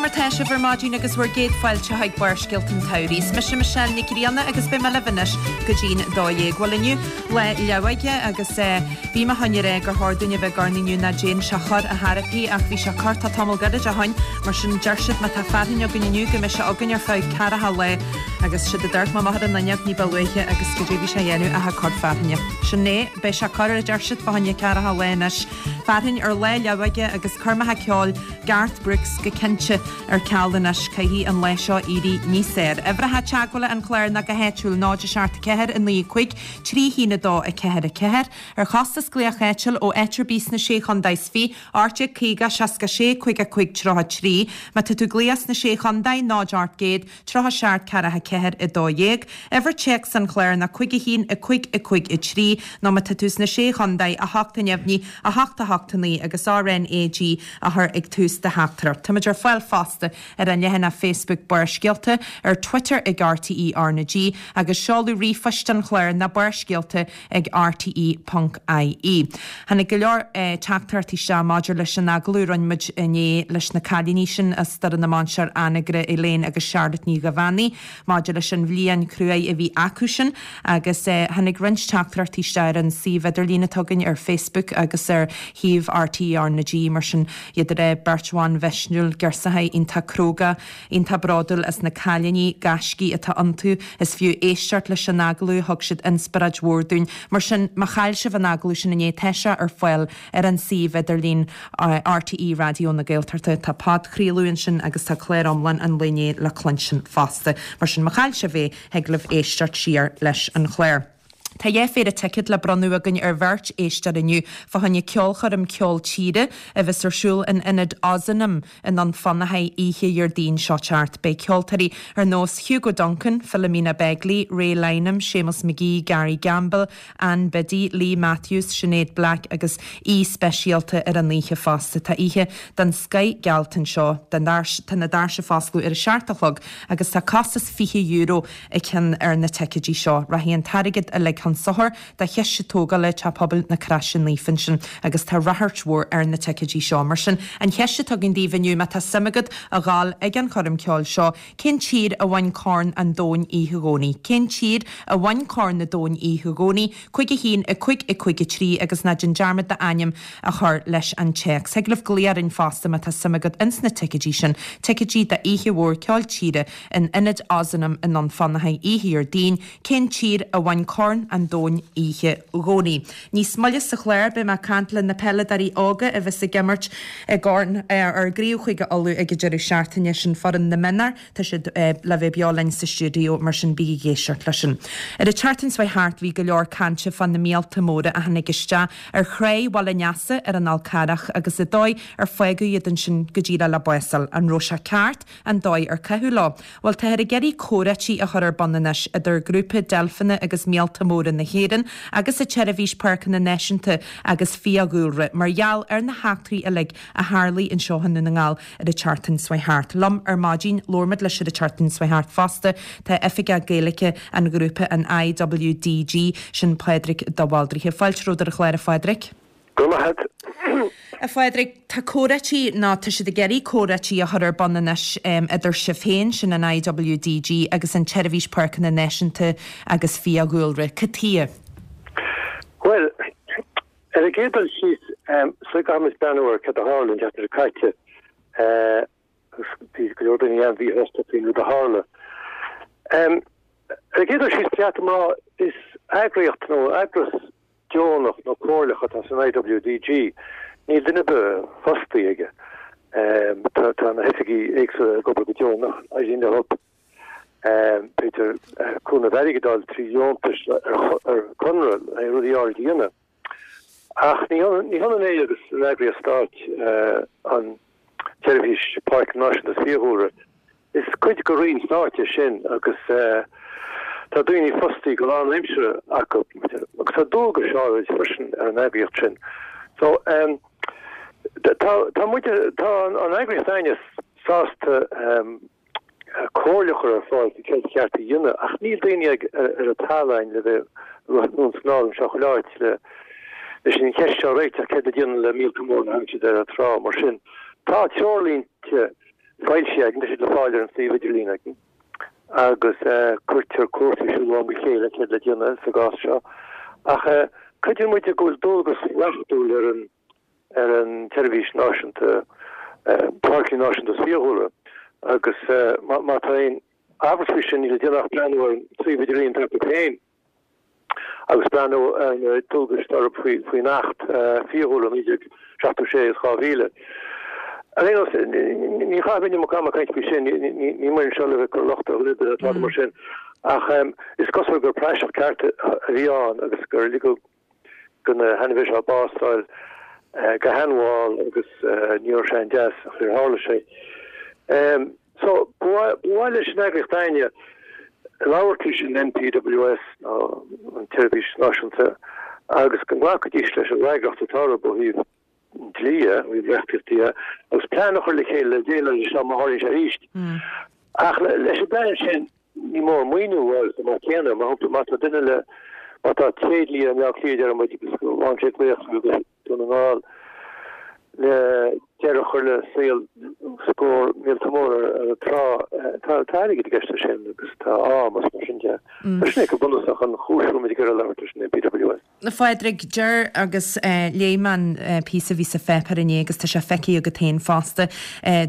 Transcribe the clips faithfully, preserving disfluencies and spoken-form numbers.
mar tá sibh ar maidin agus bhur gcéad fáilte chuig Barrscéalta an tSamhraidh. Is mise Michelle Nic Grianna agus beidh mé libh anois go dtí'n dó dhéag. Bhuel inniu Lá Leabhaige agus bhí mé chun a rá gur chóir dúinn a bheith ag urnaí inniu ná déan sé cor ar chor ar bith ach bhí sé cortá tamall gairid ó shin mar sin deir siad má tá fearthainn againn inniu go mbeidh sé againn ar feadh ceathracha lá agus siad a dúirt mo mháthair an fhuinneog ní ba luaithe agus goidé bhí sé a dhéanamh ach ag cur fearthainne. Sin é, beidh sé corr a deir siad fá choinne ceathracha lá anois. Fearthainn ar Lá Leabhaige agus coirmeacha ceoil Garth Brooks go cinnte ar ceal anois caithfidh an lá seo éirí níos fearr. Uimhreacha teagmhála an chláir ná go háitiúil náid a seacht ceathair a naoi cúig trí haon a dó a ceathair a ceathair ar chostas glaoch áitiúil ó áit ar bith sna sé chontae is fiche ocht déag caoga seasca sé cúig a cúig tríocha trí má tá tú ag glaoch sna sé chontae náid ocht gcéad tríocha seacht ceathracha ceathair a dó dhéag. Uimhir téacs an chláir ná cúig a haon a cúig a cúig a trí nó má tá tú sna sé chontae a hocht a neamhní a hocht a hocht a naoi agus RNAG a chur ag tús do theachtaireacht. Táimid ar fáil fosta ar an leathanach Facebook Barrscéalta ar Twitter ag RTE RnaG agus seoladh ríomhphoist an chláir ná barrscéalta ag RTE.ie. Tháinig go leor eh, teachtaireachtaí isteach maidir leis an agallamh a rinne muid inné leis na cailíní sin as Doire na Mainsear Anagaire Elaine agus Charlotte Ní Ghabhánaí maidir leis an bhliain chruaidh a bhí acu sin agus eh, tháinig roinnt teachtaireachtaí isteach ar an suíomh idirlín atá againn ar Facebook agus ar shuíomh RTE RnaG mar sin iad ar é beirt bhan mhisniúil girseacha iontach cróga iontach bródúil as na cailíní gaiscí atá iontu is fiú éisteacht leis an agallamh thug siad inspioráid mhór dúinn mar sin má chaill sibh an agallamh sin inné tá sé ar fáil ar an suíomh idirlín uh, RTE Raidió na Gaeltachta tá podchraoladh ansin agus tá clár iomlán an lae inné le cluinstin fosta mar sin má chaill sibh é thig libh éisteacht siar leis an chlár. Tá dhá phéire ticéad le bronnadh againn ar bheirt éisteoir inniu fá choinne ceolchoirm ceol tíre a bheas ar siúl in ionad Ozanam i nDún Fionnachaidh oíche Dhéardaoin seo teacht. Beidh ceoltóirí ar nós Hugo Duncan, Philomena Begley, Ray Lynam, Seamus McGee, Gary Gamble, Ann Biddy, Lee Matthews, Sinead Black agus aoi speisialta ar an oíche fosta. Tá oíche den scoth geallta anseo tá na doirse ag oscailt ar a seacht a chlog agus tá costas fiche euro an ceann ar na ticéidí seo. Rachaidh an t-airgead uilig chun sochair do chiste tógála Teach Pobail na Croise Naofa ansin agus tá ráchairt mhór ar na ticéidí seo mar sin an cheist atá againn daoibh inniu má tá suim agat a ghabháil ag an choirm ceoil seo, cén tír a bhain Corn an Domhain oíche Dhomhnaigh. Cén tír a bhain Corn an Domhain oíche Dhomhnaigh, cúig a haon a cúig a cúig a trí agus ná déan dearmad d'ainm a chur leis an téacs. Thig libh glaoch orainn fosta má tá suim agat ins na ticéidí sin, ticéidí d'oíche mhór ceol tíre in ionad Ozanam i nDún Fionnachaidh oíche Dhéardaoin, cén tír a bhain Corn an Domhain oíche Dhomhnaigh. Níos moille sa chlár beidh mé ag caint le na peileadóirí óga a bheas ag imirt i gCorn ar gCraobh Chúige Uladh ag an deireadh seachtaine sin foireann na mionúr tá siad le bheith beo linn sa stiúideo mar sin bígí ag éisteacht leis sin. Ar an tseachtain seo thart bhí go leor cainte fá na míolta móra a tháinig isteach ar chré Bhaile an Easa ar an Fhál Carrach agus an dóigh ar fágadh iad ansin go díreach le básáil an raibh sé ceart an dóigh ar caitheadh leo. Bhuel táthar ag iarraidh comhráití a chur ar bun anois idir grúpa deilfeanna agus míolta móra na hÉireann agus an tSeirbhís Páirceanna Náisiúnta agus Fiadhúlra mar gheall ar na heachtraí uilig a tharla anseo i nDún na nGall ar an tseachtain seo thart. Liom ar maidin labhair muid leis ar an tseachtain seo thart fosta tá oifigeach Gaeilge an ghrúpa an IWDG sin Pádraig de Bhaldraithe. Fáilte romhat ar an chlár a Phádraig. Go maith. A Phádraig tá comhráití ná tá siad ag iarraidh comhráití a chur ar bun anois um, idir sibh féin sin an IWDG agus an tSeirbhís Páirceanna Náisiúnta agus Fiadhúlra. Cad chuige? Well, ar an gcéad dul síos so caithfimid breathnú ar cad a tharla an tseachtain seo caite bhí go leor daoine an-mhíshásta faoin rud a tharla. Um, ar an gcéad dul síos ceart má is eagraíocht nó eagras deonach nó comhairleach atá san IWDG, níl duine fostaí aige. Um, tá tá na hoifigigh éagsúla ag obair go deonach éiríonn leo b'fhéidir cúnamh airgeadais trí dheontais ar conradh le rudaí áirithe a dhéanamh. Ach ní ní hionann é agus an eagraíocht stáit an tSeirbhís Páirceanna Náisiúnta Fiadhúlra. Is cuid de roinn stáit é sin agus tá daoine fostaí go lánaimseartha acu agus tá dualgais áirid freisin ar an eagraíocht sin. So um, tá tá muid tá an eagraíocht s'againne sásta um, comhairle a chur ar fáil céard ceart a dhéanamh ach níl daoine ag ar an talamh le bheith snálam seo chuile áit le leis an cheist seo a réiteach céard a dhéanamh le míolta móra a thagann ar an trá mar sin. Tá treoirlínte foilsithe againn, tá siad le fáil ar an suíomh idirlín againn agus cuirtear cúrsaí ar siúl ó am go chéile céard le déanamh sa gcás seo. Ach creideann muid go bhfuil dualgas reachtúil ar an ar an tSeirbhís Náisiúnta Páirceanna Náisiúnta is Fiadhúlra agus má tá aon amhras faoi sin níl le déanamh ach breathnú ar an suíomh idirlín atá acu féin. Agus breathnú ar na dualgais atá orthu faoi faoin Acht Fiadhúlra naoi déag seachtó sé is dhá mhíle. Ar aon nós, ní chaithfidh muid am ag caint faoi sin, níl muid anseo le bheith ag cur locht ar dhuine ar bith ná mar sin, ach is cosúil gur praiseach ceart a bhí ann agus gur ligeadh do na hainmhithe seo bás a fháil go han-mhall agus ní raibh sé an-deas ach níor tharla sé. So, ba mhaith leis an eagraíocht Fhine labhairt leis an N P W S, nó an tSeirbhís Náisiúnta, agus go nglacfaidís leis an bhfreagracht atá orthu ó thaobh dlí, ó thaobh reachtaíochta de, agus plean a chur le chéile le déileáil leis seo má tharlaíonn sé arís. Ach leis an bplean sin, ní mór maoiniú a fháil chomh maith céanna. Mar shampla, má tá duine le, má tá tréidlia i mBleá Cliath, deir muid, agus go bhfaigheann sé glaoch go Dún na nGall le deireadh a chur le saol scór míolta mór ar an trá, tá airgead i gceist leis sin agus tá am agus mar sin de. Tá sin é go bunúsach an chúis go bhfuil muid ag iarraidh labhairt leis an N P W S. A Phádraig, deir agus léigh mé an píosa a bhí sa pháipéar inné agus tá sé feicthe agat féin fosta,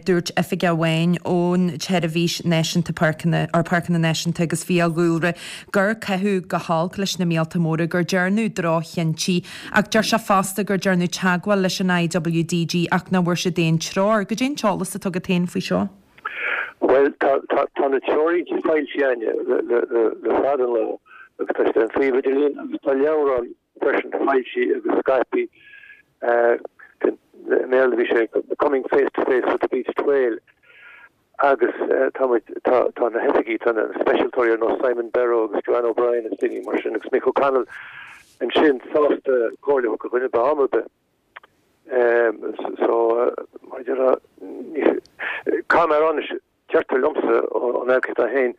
dúirt oifigeach amháin ón tSeirbhís Náisiúnta Páirceanna, or Páirceanna Náisiúnta agus Fiadhúlra, gur caitheadh go holc leis na míolta móra, gur dearnadh droch-chinntí ach deir sé fosta gur dearnadh teagmháil leis an I W D G ach nach bhfuair siad aon treoir. Goidé an t-eolas atá agat féin faoi seo? Bhuel, tá tá tá na treoirlínte foilsithe againne le le le le fada an lá agus tá siad ar an suíomh idirlín agus tá leabhrán freisin foilsithe agus scaipthe i mBéarla bhí sé Coming Face to Face with the Beached Whale agus tá muid tá tá na hoifigigh, tá na speisialtóirí ar nós Simon Berrow agus Joanne O'Brien agus daoine mar sin agus Mick O'Connell ansin sásta comhairle a thabhairt do dhuine ar bith am ar bith. So mar a déarfá caithfidh mé a rá anois deirtear liomsa ón eagraíocht féin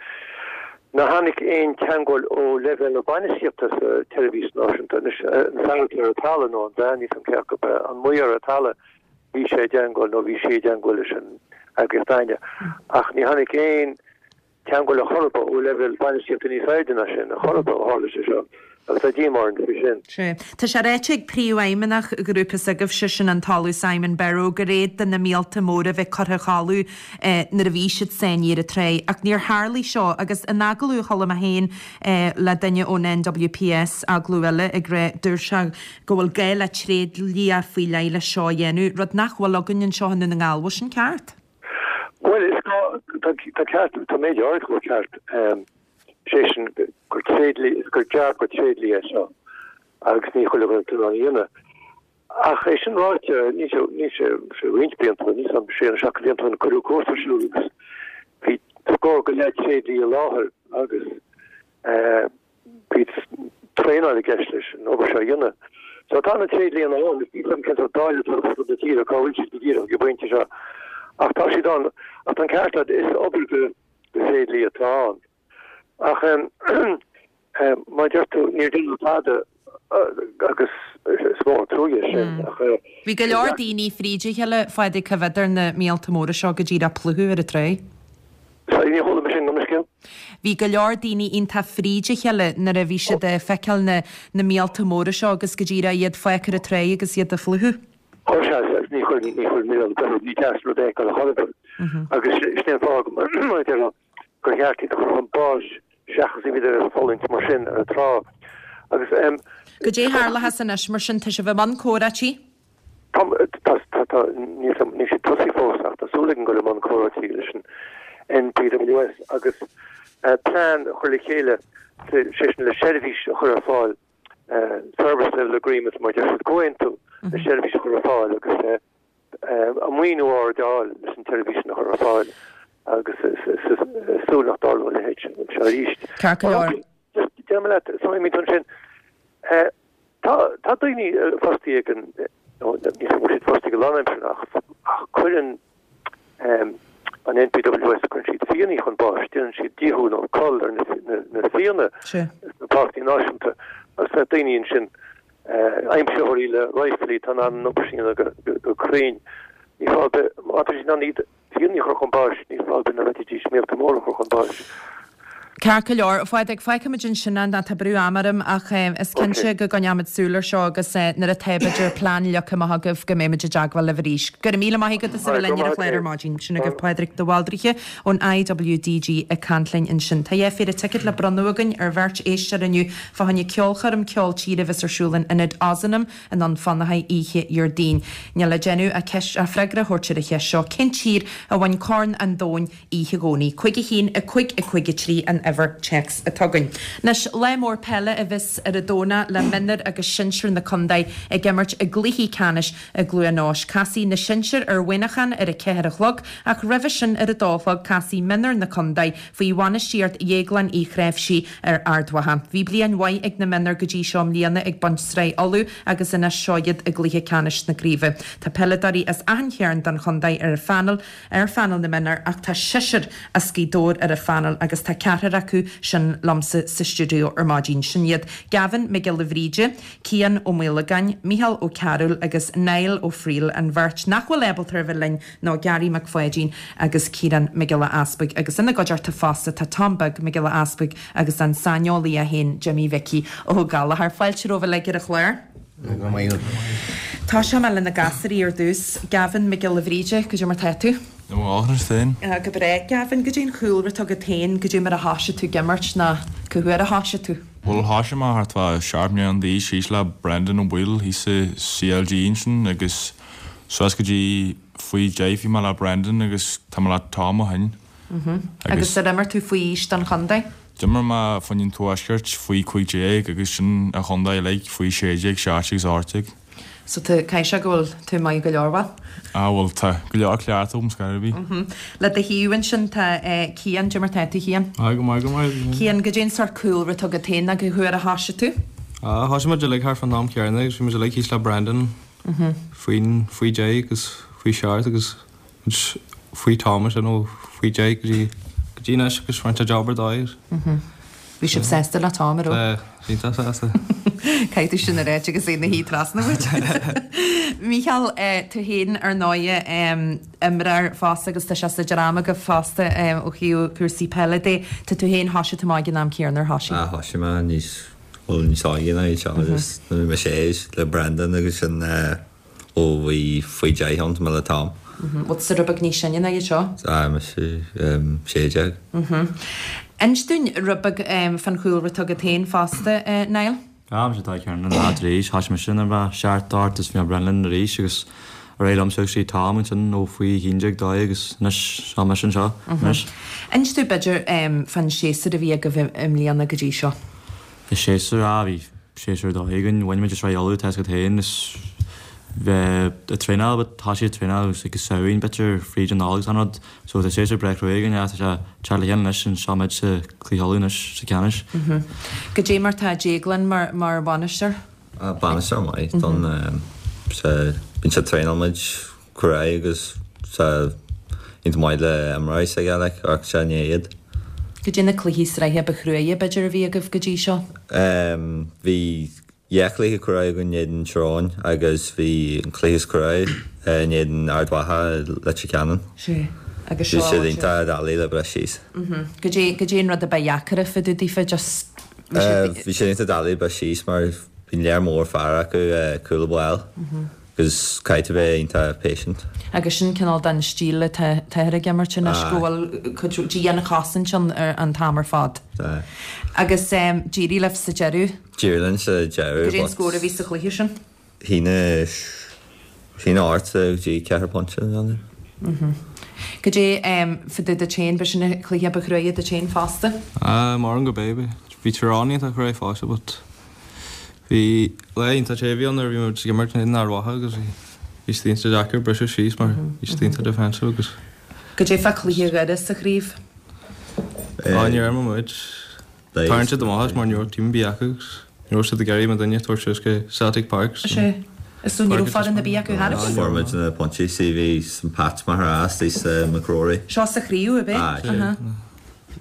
nár tháinig aon teagmháil ó leibhéal na bainistíochta sa tSeirbhís Náisiúnta anois an fear atá ar an talamh nó an bhean níl a fhios agam cé acu an maor ar an talamh bhí sé i dteagmháil nó bhí sí i dteagmháil leis an eagraíocht Fhine ach ní tháinig aon teagmháil ar chor ar bith ó leibhéal bainistíochta níos airde ná sin ar chor ar bith ó tharla sé seo agus tá díomá orainn faoi sin. Sea. Tá sé ráite ag príomhfheidhmeannach ghrúpa s'agaibhse, sin an tOllamh Simon Berrow, gur fhéad do na míolta móra bheith curtha a chodladh nuair a bhí siad sáinnithe ar an trá, ach níor tharlaigh seo agus in agallamh a chuala mé féin le duine ón N W P S, agallamh eile, ag rá, dúirt sé go bhfuil gá le tréidlia faoi leith leis seo a dhéanamh, rud nach bhfuil againn anseo i nDún na nGall. Bhfuil sin ceart? Bhuel, is gá, tá tá ceart, tá méid áirithe go bhfuil ceart. Sé sin gur tréidlia, gur jab do thréidlia é seo agus ní chuile dhuine atá in ann a dhéanamh. Ach é sin ráite, níl sé níl sé sé roinnt blianta, níl a fhios agam sé nó seacht blianta ó shin cuireadh cúrsa ar siúl agus bhí scór go leith tréidlia i láthair agus bhí traenáil i gceist leis an obair seo a dhéanamh. So tá na tréidlianna ann, níl a fhios agam cén sórt dáileadh atá ar fud na tíre, cá bhfuil siad go díreach ag an bpointe seo. Ach tá siad ann, ach tá an ceart agat, is obair do thréidlia atá ann. Ach mar a deir tú, níor deineadh tada agus is mór an truaighe é sin. Ach Bhí go leor daoine fríd a chéile fad ag coimhéad ar na míolta móra seo go díreach ag plúchadh ar an trá. Sorry, ní chuala mé sin, gabh mo leithscéal. Bhí go leor daoine iontach fríd a chéile nuair a bhí siad ag feiceáil na na míolta móra seo agus go díreach iad fágtha ar an trá agus iad ag plúchadh. Ó sea, ní chuir ní chuir mé an ní deas rud é a chor ar bith. Agus sin é an fáth mar a déarfá gur cheart iad a chur chun báis seachas iad a fhulaingt mar sin ar an trá. Agus um, Goidé tharlóchas anois mar sin tá sibh i mbun comhráití? Tá tá tá tá níl níl sé tosaithe fós ach tá súil againn dul i mbun comhráití leis an N P W S agus uh, plean a chur le chéile sé sin le seirbhís a chur ar fáil uh, service level agreement mar deir siad comhaontú le seirbhís a chur ar fáil agus uh, uh, a maoiniú a fháil leis an tseirbhís a chur ar fáil agus súil nach dtarlóidh a leithéid seo arís. Ceart go leor. Déarfaidh mé leat so sin uh, tá tá daoine fostaithe ag an ní siad fostaithe go lánaimseartha ach ach cuireann um, an N P W S cuireann siad fianna chun báis, déanann siad díothú nó cull ar na, na, na fianna sna páirceanna náisiúnta agus tá daoine ansin uh, aimsitheoirí le riflí tá an obair sin go, go, go cruinn. Ní fá má tá siad iad Fianna a chur chun báis, níl fáth ar bith nach bhféadfaidís míolta móra a chur chun báis. Ceart go leor, a Phádraig, fágfaimid ansin é, tá brú ama orm ach is cinnte go gcoinneoimid súil air seo agus nuair atá b'fhéidir plean leagtha amach agaibh go mbeimid i dteagmháil libh arís. Go raibh míle maith agat as a bheith linn ar an chlár ar maidin. Sin agaibh Pádraig de Bhaldraithe ón IWDG ag caint linn ansin. Tá dhá phéire ticéad le bronnadh againn ar bheirt éisteoir inniu fá choinne ceolchoirm ceol tíre a bheas ar siúl in Ionad Ozanam i nDún Fionnachaidh oíche Dhéardaoin. Níl le déanamh ach ceist, ach freagra a thabhairt ar an cheist seo, cén tír a bhain Corn an Domhain oíche Dhomhnaigh? Cúig a haon, a cúig, a cúig a trí an uimhir téacs atá againn. Anois, lá mór peile a bheas ar an Domhnach le mionúir agus sinsir na contae ag imirt i gcluichí ceannais i gCluain Eois. Casfaidh na sinsir ar Mhuineachán ar a ceathair a chlog ach roimhe sin ar a dó a chlog casfaidh mionúir na contae faoi bhainistíocht Dhéagláin Uí Chnáimhsí ar Ard Mhacha. Bhí bliain mhaith ag na mionúir go dtí seo i mbliana ag baint Sraith Uladh agus anois seo iad i gcluiche ceannais na craoibhe. Tá peileadóirí as achan chearn den chontae ar phainéal ar phainéal na mionúr ach tá seisear as Gaoth Dobhair ar an phainéal agus tá ceathrar acu sin liomsa sa stiúideo ar maidin. Sin iad Gavin Mac Giolla Bhríde, Cian Ó Maolagáin, Mícheál Ó Cearúil agus Niall Ó Frighil, an bheirt nach bhfuil ábalta a bheith linn ná Gary Mac Pháidín agus Ciarán Mac Giolla Easpaig agus ina gcuideachta fosta tá Tom Beag Mac Giolla Easpaig agus an saineolaí é féin Jimmy Mhicí Ó Gallchóir. Fáilte romhaibh uilig ar an chlár. Go maith. Tosóidh mé le na gasúirí ar dtús. Gavin Mac Giolla Bhríde, cad é mar tá tú? Go maith féin. Go breá. Gavin, cad é an cúlra atá agat féin, cad é mar a thoisigh tú ag imirt ná cá huair a thoisigh tú? Bhuel, thoisigh mé thart fá seacht mbliana d'aois thíos le Brendan Ó Baoill thíos sa CLG ansin agus suas go dtí faoi deich bhí mé le Brendan agus tá mé le Tom ó shin. Agus ar imir tú faoi aois don chontae? D'imir mé fá choinne an Tuaiscirt faoi cúig déag agus sin an chontae uilig faoi sé déag, seacht déag agus ocht déag. So tá, caithfidh sé go bhfuil tú maith go leor, bhuel? Ah bhuel tá go leor cleachtadh agam scor ar bith. Le do thaobh ansin tá Cian, cad é mar tá tú Cian? Ah go maith, go maith. Cian, cad é an sórt cúlra atá agat féin nó cá huair a thoisigh tú? Ah thoisigh muid uilig thart fán am céanna agus bhí muid uilig thíos le Brendan faoin, faoi deich agus faoi seacht agus muid faoi Tom ansin ó faoi deich go dtí, go dtí anois agus rinne sé job ar dóigh. Bhí sibh sásta le Tom, an raibh? Tá, iontach sásta. Caithfidh tú sin a ráit agus é ina shuí trasna uait. Mícheál, tú féin ar ndóighe, imreoir fosta agus tá sé sa dream agaibh fosta ó thaobh cúrsaí peile de. Tá tú féin, thoisigh tú amach ag an am céanna, ar thoisigh? Ah, thoisigh mé níos, bhuel níos óige ná iad seo agus nuair a bhí mé sé le Brendan agus sin ó bhí faoi deich ann, tá mé le Tom. Bhfuil tusa rud beag níos sine ná iad seo? Tá, mise sé déag. Inis dúinn rud beag fán chúlra atá agat féin fosta, Niall. Ah, mise atá ag ceann na arís, thoisigh mise nuair a bhí seacht ocht is bhí mé Brendan arís agus ar aghaidh liom suas go dtí Tom ansin ó faoi haon déag dó agus anois seo mise anseo anois. Inis dúinn b'fhéidir fán séasúr a bhí agaibh i mbliana go dtí seo. An séasúr, ah bhí séasúr ar dóigh againn, bhain muid an Sraith Uladh, tá 'fhios agat féin, is bheith ag traenáil but tá siad ag traenáil agus ag Samhain b'fhéidir fríd an Nollaig agus an rud so tá séasúr breá cruaidh againn yeah tá sé teacht le chéile anois and seo muid sa Cluiche Uladh anois sa ceannais. Cad é mar tá Déaglán mar mar bhainisteoir? Ah bainisteoir maith don sa bíonn sé ag traenáil muid cruaidh agus sa iontach maith le imreoirí s'aige like ach sé ní iad. Cad é na cluichí sraithe ba chruaidhe b'fhéidir a bhí agaibh go dtí seo? Ehm bhí Dhá chluiche cruaidh againn in éadan Tír Eoghain agus bhí an cluiche is cruaidh in éadan Ard Mhacha i Leitir Ceanainn. Sea. Agus Bhí seo siad iontach doiligh le breith síos. Cad é, cad é an rud a ba dheacair fá dtaobh daofa, just, bhí siad. Bhí siad iontach doiligh le breith síos mar bhí lear mór fear acu cúl báire agus caithfidh tú bheith iontach patient. Agus sin cineál den stíl atá táthar ag imirt anois, go bhfuil cuid dianchosaint ann an t-am ar fad. Tá. Agus d'éirigh libh sa deireadh? D'éirigh linn sa deireadh. Cad é an scór a bhí sa chluiche sin? Haon a haon a ocht go dtí ceithre pointe, an ea? Cad é fá dtaobh duit féin, b'shin an cluiche ba chruaidhe duit féin fosta? Maram go b'é. Bhí Tír Eoghain iontach cruaidh fosta but Bhí lá iontach te a bhí ann nuair a bhí muid ag imirt in éadan Ard Mhacha agus bhí bhí siad iontach deacair briseadh síos mar bhí siad iontach defensive agus. Cad é fá chluiche Dhoire sa chraobh? Á níor imir muid. Tharraing siad amach as mar ní raibh team ar bith acu agus ní raibh siad ag iarraidh muidinne a thabhairt suas go Celtic Park so. Sea. So ní raibh foireann ar bith acu thar a Fuair muid na pointí see bhí St Pat's mar as thíos McCrory. Seo sa chraobh ab ea? Aye.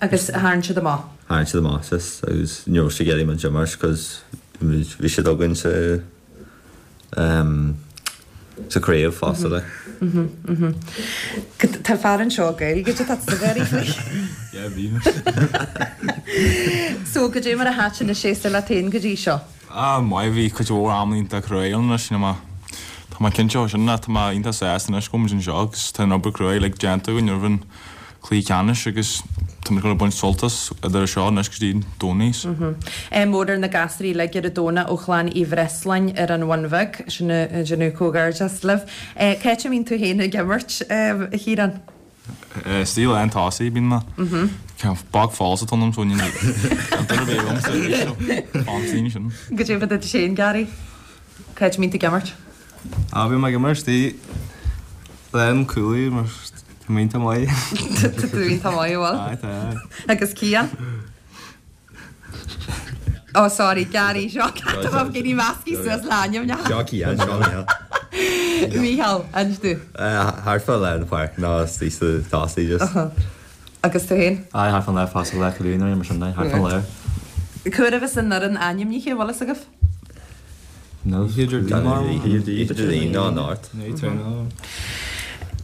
Agus tharraing siad amach. Tharraing siad amach as agus ní raibh siad ag iarraidh muid a imirt cos bhí siad againn sa sa craobh fosta like. Mhm mhm. Tá fear anseo Gaeilge tá sa bheirí faoi. Yeah, bhí. So goidé mar a thaitin an séasúr leat féin go dtí seo. Ah, maith bhí cuid mhór am iontach cruaidh anois you know, Tá mé cinnte ó sin tá mé iontach sásta anois go bhfuil muid anseo agus tá an obair cruaidh like déanta againn roimh an cluiche ceannais agus tá muid ag baint sult as idir seo anois go dtí Domhnach. Ádh mór ar na gasúir uilig ar an Domhnach ó Chlann Uí Bhreisleáin ar an Bhun Bheag sin déanamh comhghairdeas libh. Cá háit a mbíonn tú féin ag imirt a Chiaráin? Istigh lán tosaigh bíonn mé. Bog falsa tonam so ní duine bé am sin. Goidé fá duit féin Gary? Cá háit a mbíonn tú ag imirt? Á bhí mé ag imirt istigh lán cúlaí mar tá mé iontach maith. Tá tú iontach maith bhfuil? Aye, tá. Agus Cian? Oh sorry, Gary seo tá gin measctha suas le hainm Seo Cian, seo Micheál. Micheál, inis tú. Thart fá lár na páirce nó istigh sa tosaigh just. Agus tú féin? Aye, thart fán lár fosta le cúlaí nó mar sin de, thart fán lár. Cá huair a bheas an fhoireann ainmnithe, bhfuil fhios agaibh? No. Idir ná nárt.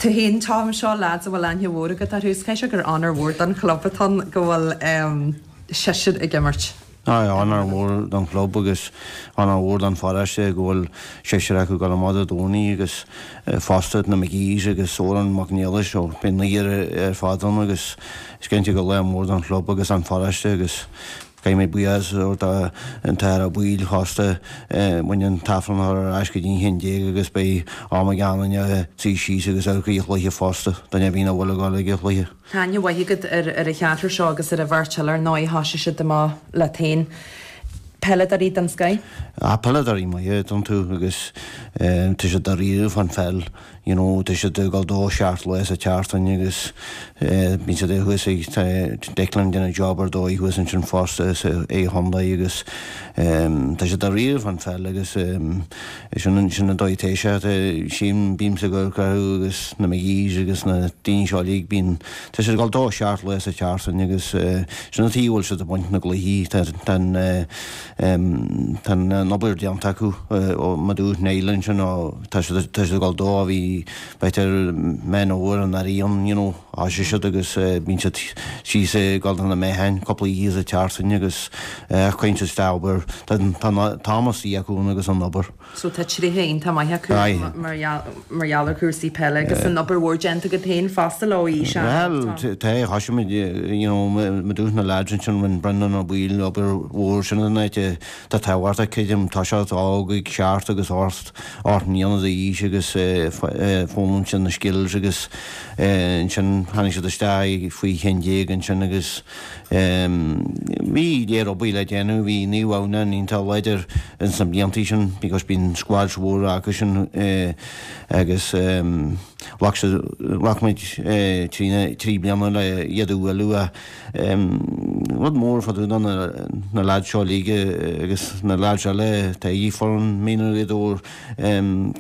Tú féin Tom seo lads a bhfuil aithne mhór agat orthu, is caithfidh sé gur onóir mhór don chlub atá ann go bhfuil seisear ag imirt. Aye, onóir mhór don chlub agus onóir mhór don pharóiste go bhfuil seisear acu ag dul amach Dé Domhnaigh agus fosta na McGee's agus Odhrán Mac Niallais ó beidh naonúr ar fad ann agus is cinnte gur lá mór don chlub agus an pharóiste agus caithfidh mé buíochas a thabhairt an t-Athair Ó Baoill fosta bhain an t-Aifreann a chur ar ais go dtí an haon déag agus beidh am ag achan duine suí síos agus amharc ar an chluiche fosta duine ar bith nach bhfuil ag dul ag an chluiche. Tá aithne mhaith agat ar ar an cheathrar seo agus ar an bheirt eile ar ndóigh thosaigh siad amach leat féin. Peileadóirí den scoth? Ah, peileadóirí maithe iontu agus tá siad dáiríre fán pheil, you know, tá siad ag dul dó seacht lá sa tseachtain agus bíonn siad thuas ag Declan déanamh job ar dóigh thuas ansin fosta sa A chontae agus tá siad dáiríre fán pheil agus sin sin an dóigh atá sé sin bímse ag amharc orthu agus na McGee's agus na daoine seo uilig bíonn tá siad ag dul dó seacht lá sa tseachtain agus sin an tuige a bhfuil siad ag baint na gcluichí tá tá tá an obair déanta acu ó ma dúirt Niall ansin ó tá siad tá siad ag dul dó a bhí b'fhéidir Meán Fhómhair anuraidh ann you know thosaigh siad agus bíonn siad síos ag dul do na meáin cúpla oíche sa tseachtain agus cuireann siad isteach obair tá tá am istigh acu ann agus an obair. So tá tréithe iontach maith acu mar mar gheall ar chúrsaí peile agus an obair mhór déanta agat féin fosta leo aois Well tá thosaigh muid you know ma dúirt na lads ansin rinne Brendan Ó Baoill obair mhór sin an áit tá tábhachtach creidim tá sé óg ag seacht agus ocht ocht mbliana d'aois agus foghlaim siad na skills agus ansin tháinig siad isteach faoi haon déag ansin agus bhí léir obair le déanamh bhí Naomh Adhamhnáin iontach láidir ins na blianta sin because bíonn squads mhóra acu sin agus ghlac siad ghlac muid trí trí bliana le iad a bhualadh rud mór fá dtaobh de na na lads seo uilig agus na lads eile tá ag foireann Míne Ghaoth Dobhair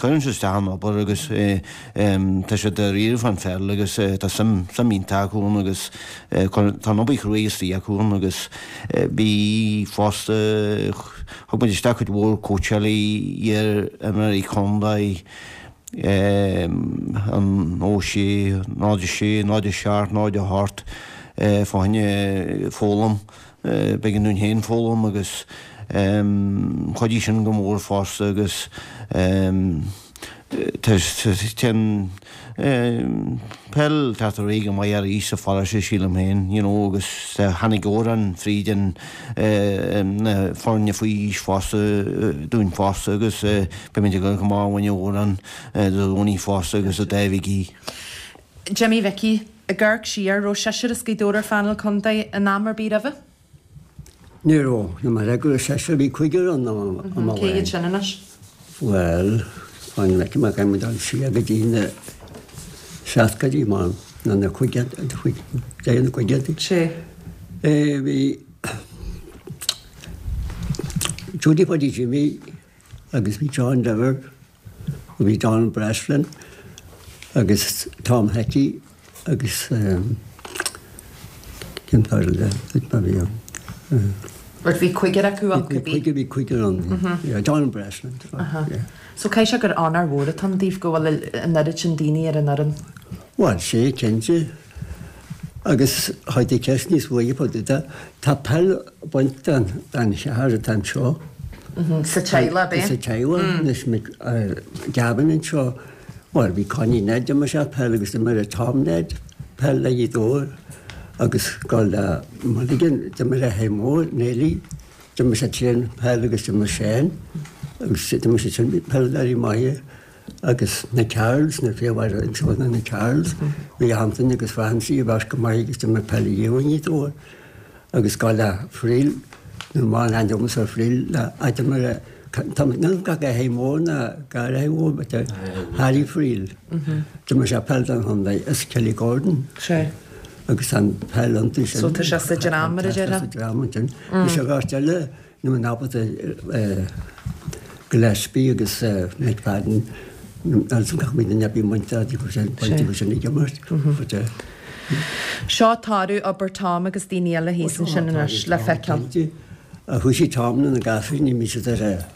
cuireann siad isteach an obair agus tá siad dáiríre fán pheil agus tá suim suim iontach acu ann agus tá an obair chruaidh istigh acu ann agus bhí fosta thug muid isteach cuid mhór cóitseálaí iar-imreoirí contae an ó sé náid a sé náid a seacht náid a hocht fá choinne foghlaim b'éigean dúinn féin foghlaim agus chuidigh sin go mór fosta agus tá peil teacht ar aghaidh go maith arís sa pharóiste sílim féin you know agus tháinig Odhrán fríd an na foirne faoi aois fosta dúinn fosta agus beimid ag dul go maith i gcoinne Odhrán Dé Domhnaigh fosta agus a David Gee. Jimmy Mhicí, ag amharc siar raibh seisear as Gaoth Dobhair ar phainéal contae in am ar bith roimhe? Ní raibh, nó mar go raibh seisear bhí cúigear ann am Cé amháin. hiad sin anois? Bhuel, fan go bhfeicfidh mé caithfidh muid dul siar go dtí na seascaidí mar nó na caogaidí deireadh na caogaidí. Sé. Eh, bhí Judy Puddy Jimmy agus bhí John Dever, bhí Donald Breslin agus Tom Hickey agus um, cén fear eile a bhí ann. Rud bhí cúigear acu ann Bhí cibé. cúigear bhí cúigear ann. Yeah, Donald Breslin. Yeah. So caithfidh sé gur onóir mhór atá ann daoibh go bhfuil an oiread sin daoine ar an fhoireann. Bhuel, sé, cinnte. Agus chuir tú ceist níos mhaithe fá dtaobh de. Tá peil baint den den cheathrar atá anseo. Sa teaghlach, ab é? Sa teaghlach. Anois Gavin anseo, bhuel, bhí Connie Ned, d'imir sé peil agus d'imir Tom Ned peil le Gaoth Dobhair agus gabháil le Mulligan, d'imir a Shay Mór, Neilí, d'imir sé tréan peil agus d'imir Seán agus d'imir siad sin peileadóirí maithe. Agus na Carrolls, na fir mhaithe anseo ná na Carrolls, bhí Anthony agus Francie a bheas go maith agus d'imir peil i Gaoth Dobhair agus gabháil le Friel, nó mar an ainm ar Friel le a d'imir tá níl gach a hé mór ná gar a mhór but Harry Friel. D'imir sé peil don chontae as Kelly Gordon. Sea. Agus an peil iontu sin. So tá sé sa dream mar a déarfá? Tá sé sa dream ansin. Bhí sé bheirt eile nó an ábalta Gillespie agus McFadden agus gach mí duine bhí muintir acu sin baint acu sin ag imirt. But Seo toradh obair Tom agus daoine eile thíos ansin anois le feiceáil. Chuaigh siad Tom na gasúir ní bhí siad ar a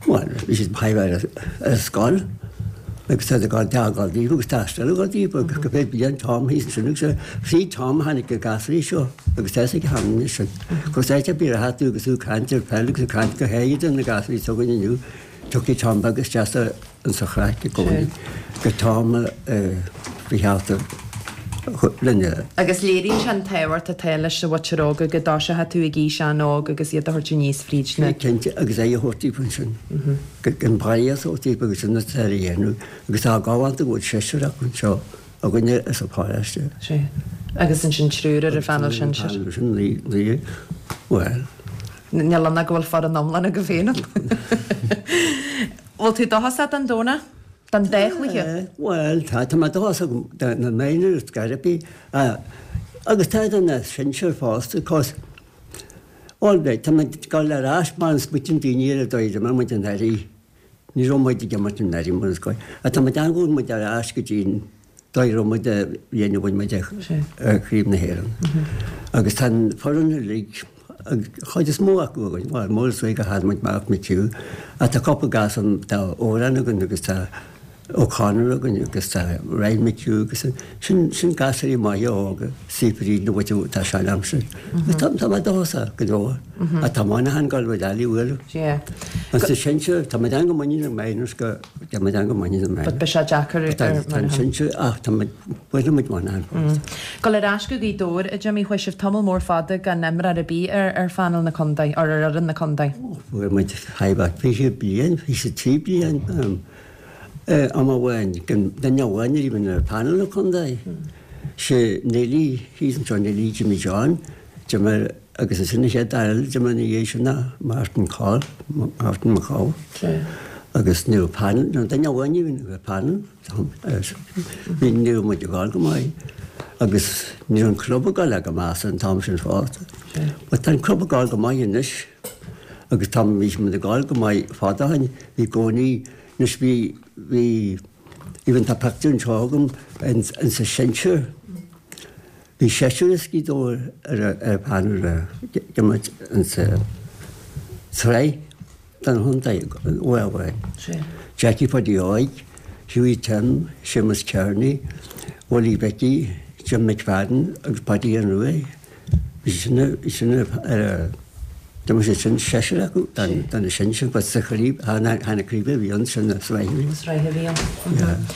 bhuel bhí siad ar ar scoil agus tá ag dul dá gabháil daofa agus tá still ag gabháil daofa agus go bhféad bliain Tom thíos ansin agus fríd Tom tháinig na gasúirí seo agus tá fhios ag Hannah anois sin. Cos áit ar bith ar theacht tú agus tú ag caint ar peil agus ag caint go háirithe do na gasúirí s'againn inniu tiocfaidh Tom beag isteach sa insa chraic i gcónaí gur Tom a ba cheart a rinne. Agus léiríonn sé an tábhacht atá leis an mhuintir óga go dtoiseoidh tú ag aois an-óg agus iad a thabhairt aníos fríd na. Cinnte, agus é a thabhairt daofa ansin. An praghas a thabhairt daofa agus sin atá a dhéanamh agus tá galánta go bhfuil seisear acu anseo againne as an pharóiste. Sea. Agus ansin triúr ar an phainéal sinsir. Ar an phainéal sin, naoi, naoi, bhuel. Níl ann ach go bhfuil foireann iomlán agaibh féin ann. Bhfuil tú dóchasach don Domhnach? Don dá chluiche? Bhuel, tá, tá mé dóchasach do na minors go háirithe, agus tá do na sinsir fosta, cos, all right, tá muid ag dul ar ais mar an smaoitíonn daoine ar an dóigh a d'imir muid anuraidh, ní raibh muid ag imirt anuraidh mar is dóigh, ach tá muid ag gabháil muid ar ais go dtí an dóigh a raibh muid an bhliain a bhain muid Craobh na hÉireann. Agus tá an foireann uilig, an chuid is mó acu againn, bhuel, mór is gur chaill muid Mark McHugh, ach tá cúpla gasúr, tá Odhrán againn agus tá O'Connor againn agus tá Ryan McHugh agus sin, sin gasúirí maithe óga, saothraí na bhfuil tá sean-aimsir. Agus tá, tá mé dóchasach go leor. Ach tá Monaghan ag gabháil a bhualadh. Yeah. Agus sa sinsir, tá muid an-mhuiníneach na minors go, tá muid an-mhuiníneach na minors. But beidh sé deacair ar Tá an Monaghan. sinsir, ach tá muid, buailfidh muid Monaghan fosta. Gabháil ar ais go Gaoth Dobhair, a Jimmy, chuaigh sibh tamall mór fada gan imreoir ar bith ar ar phainéal na contae, or ar fhoireann na contae. Fuair muid five fiche bliain, fiche trí bliain am amháin, gan duine amháin a bhí ar phainéal na contae. Sé Neilí, thíos anseo Neilí Jimmy John, d'imir agus ansin an chéad fhear eile a d'imir ina dhiaidh sin ná Martin Coll, Martin McCall. Agus ní raibh painéal, ní raibh duine amháin a bhí ar phainéal, bhí, ní raibh muid ag gabháil go maith agus ní raibh an club ag gabháil go maith an t-am sin fosta. But tá an club ag gabháil go maith anois agus tá, bhí muid ag gabháil go maith fada ó shin, bhí i gcónaí, anois bhí, bhí, even tá pictiúr anseo agam in, in sa sinsir, bhí seisear as Gaoth Dobhair ar ar phainéal ag imirt in sa tsraith don chontae uair amháin. Jackie Phaidí Óig, Hughie Tim, Séamus Kearney, Willie Mhicí, Jim McFadden agus Paddy an Ruaidh. Bhí sin, bhí sin ar a D'imir siad sin seisear acu do na sinsir but sa chraobh, chan na craoibhe a bhí ann, sin na sraithe a bhí ann. Sraith a bhí ann.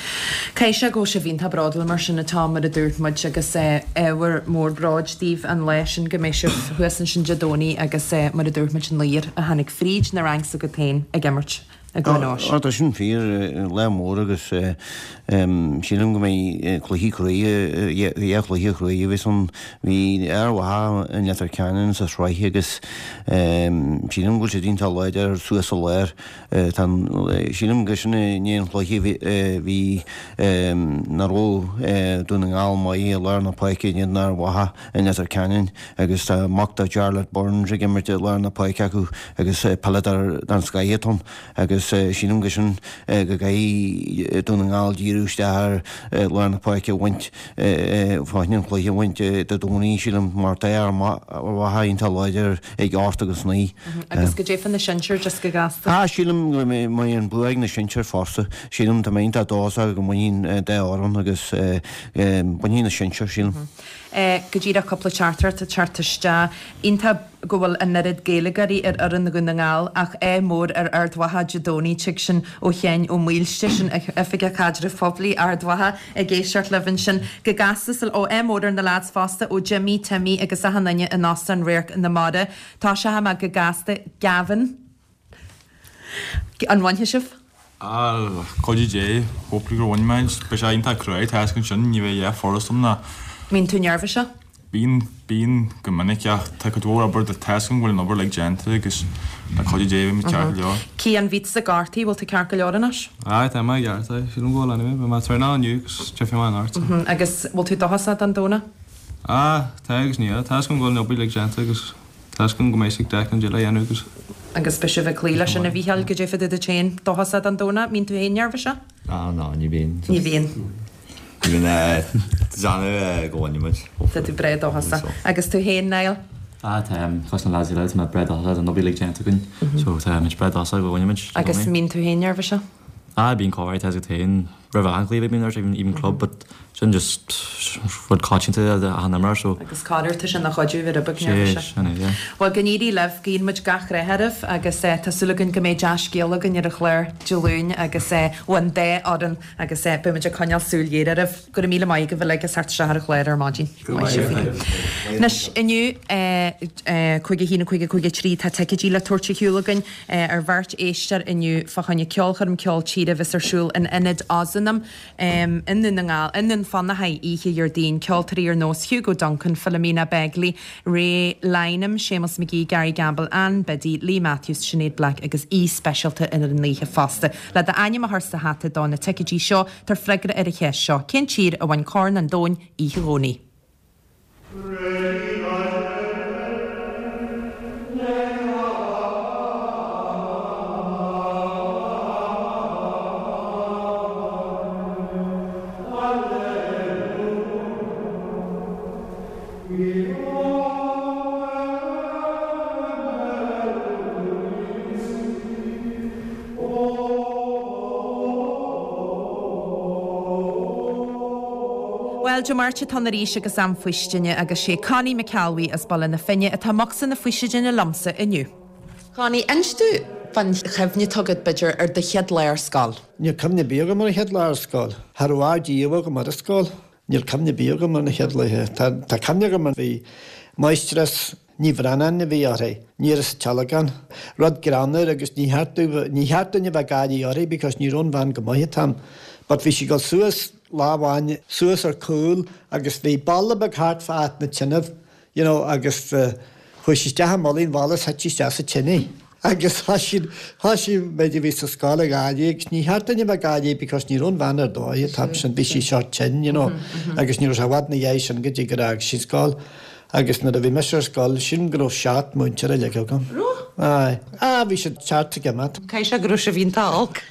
Caithfidh sé go bhfuil sibh iontach bródúil mar sin atá mar a dúirt muid agus ábhar mór bróid daoibh an lá sin go mbeidh sibh thuas ansin Dé Domhnaigh agus mar a dúirt muid an laoch a tháinig fríd na ranks agat féin ag imirt. i gCluain Eois. Tá sin fíor, lá mór agus sílim go mbeidh cluichí cruaidh, dhá chluiche chruaidh a bheas ann. Bhí Ard Mhacha i Leitir Ceanainn sa sraith agus sílim go bhfuil siad iontach láidir suas sa lár. Tá an, sílim gur sin i ndiaidh an chluiche a bhí nach raibh Dún na nGall maith i lár na páirce in éadan Ard Mhacha i Leitir Ceanainn agus tá mac do Jarlath Burns ag imirt i lár na páirce acu agus peileadóir den scoith atá ann. Agus agus sílim go sin go gcaithfidh Dún na nGall díriú isteach ar lár na páirce a bhaint fá choinne an cluiche a bhaint Dé Domhnaigh sílim mar tá Ard Mhacha iontach láidir ag ocht agus naoi. Agus goidé fá na sinsir just go gasta? Ah sílim go mbeidh an bua ag na sinsir fosta. Sílim tá mé iontach dóchasach go mbainfidh an dá fhoireann agus bainfidh na sinsir sílim. Go díreach cúpla teachtaireacht ag teacht isteach. Iontach go bhfuil an oiread Gaeilgeoirí ar fhoireann Dhún na nGall ach ádh mór ar Ard Mhacha Dé Domhnaigh. Tig sin ó Sheáin Ó Maoilste, sin Oifigeach Caidrimh Poiblí Ard Mhacha ag éisteacht libh ansin. Go gasta sa ó ádh mór ar na lads fosta ó Jimmy, Timmy agus achan duine in Óstán Radharc na Mara. Tá sé amach go gasta Gavin. An bhainfidh sibh? Ah, le cuidiú Dé, hopefully gur bhain muid. Beidh sé iontach cruaidh, tá fhios ansin, ní bheidh a dhath furast ann ná. Mbíonn tú neirbhíseach? Bíonn, bíonn go minic ach tá cuid mhór obair, tá fhios agam go bhfuil an obair uilig déanta agus le cuidiú Dé beidh muid ceart go leor. Cian, bhí tusa gortaithe, bhfuil tú ceart go leor anois? Aye, tá mé i gceart, aye. Sílim go bhfuil anyway, beidh mé ag traenáil inniu agus tiocfaidh mé anocht. Agus bhfuil tú dóchasach don Domhnach? Ah, tá agus níl. Tá fhios agam go bhfuil an obair uilig déanta agus tá fhios agam go mbeidh siad ag deich an dul a dhéanamh agus. Agus beidh sibh ag cloí leis sin a Mhícheáil, goidé fá dtaobh duit féin, dóchasach don Domhnach, mbíonn tú féin neirbhíseach? Ah, no, ní bhíonn. Ní bhíonn. Ní bhíonn déanamh go bhfuil muid. Tá tú breá dóchasach. Agus tú féin, Niall? Ah, tá cosúil na lads eile, tá mé breá dóchasach, tá an obair uilig déanta againn, so tá muid breá dóchasach go bhfuil muid. Agus mbíonn tú féin neirbhíseach? Ah, bíonn corruair, tá fhios agat féin, roimh achan chluiche bíonn neirbhíseach, even even club, but sin just rud coitianta achan imreoir, so. Agus corruair tá sin ina chuidiú bheith rud beag neirbhíseach. Sé, sin é, yeah. Bhuel, go n-éirí libh, guíonn muid gach rath oraibh agus tá súil againn go mbeidh dea-scéal againn ar an chlár Dé Luain agus ó an dá fhoireann agus beidh muid ag coinneáil súil ghéar oraibh. Go raibh míle maith agaibh uilig as theacht isteach ar an chlár ar maidin. Maith sibh féin. Anois, inniu, cúig a haon, cúig a cúig a trí, tá ticéidí le tabhairt ar shiúl againn ar bheirt éisteoir inniu fá choinne ceolchoirm ceol tíre a bheas ar siúl in Ionad Ozanam i nDún na nGall, i nDún Fionnachaidh oíche Dhéardaoin. Ceoltóirí ar nós Hugo Duncan, Philomena Begley, Ray Lynam, Séamus McGee, Gary Gamble, Ann Biddy, Lee Matthews, Sinéad Black agus aoi speisialta ar an oíche fosta. Le d'ainm a chur sa hata do na ticéidí seo, tabhair freagra ar an cheist seo, Cén tír a bhain Corn an Domhain oíche Dhomhnaigh? Bhuel, Dé Máirt atá ann arís agus am faoistine agus sé Connie McElwee as Baile na Finne atá i mbocsa na faoistine liomsa inniu. Connie, inis domh fán chuimhne atá agat, b'fhéidir, ar do chéad lá ar scoil. Níl cuimhne ar bith agam ar an chéad lá ar scoil. Cha raibh ard-díomha agam ar an scoil. Níl cuimhne ar bith agam ar na chéad laethe. Tá tá cuimhne agam ar bhí máistreás Ní Bhraonáin a bhí uirthi, ní as an Tealgán. Rud greannmhar agus ní cheart domh ní cheart duine bheith ag gáirí uirthi because ní raibh an bhean go maith an t-am. But bhí sí ag dul suas lá amháin suas ar cúl agus bhí balla beag thart fá áit na tineadh you know agus chuaigh sí isteach i mullaigh an bhalla is thit sí isteach sa tine. Agus thoisigh thoisigh muid a bhí sa scoil ag gáirí agus ní cheart duine bheith ag gáirí because ní raibh an bhean ar dóigh an t-am sin, bhí sí sórt tinn you know agus ní raibh sé i bhfad ina dhiaidh sin go dtí gur fhág sí an scoil. Agus nuair a bhí mise ar scoil, sílim go raibh seacht múinteoir uilig agam. Raibh? Aye. Ah, bhí siad ceart ag imeacht. Caithfidh sé go raibh sibh iontach olc.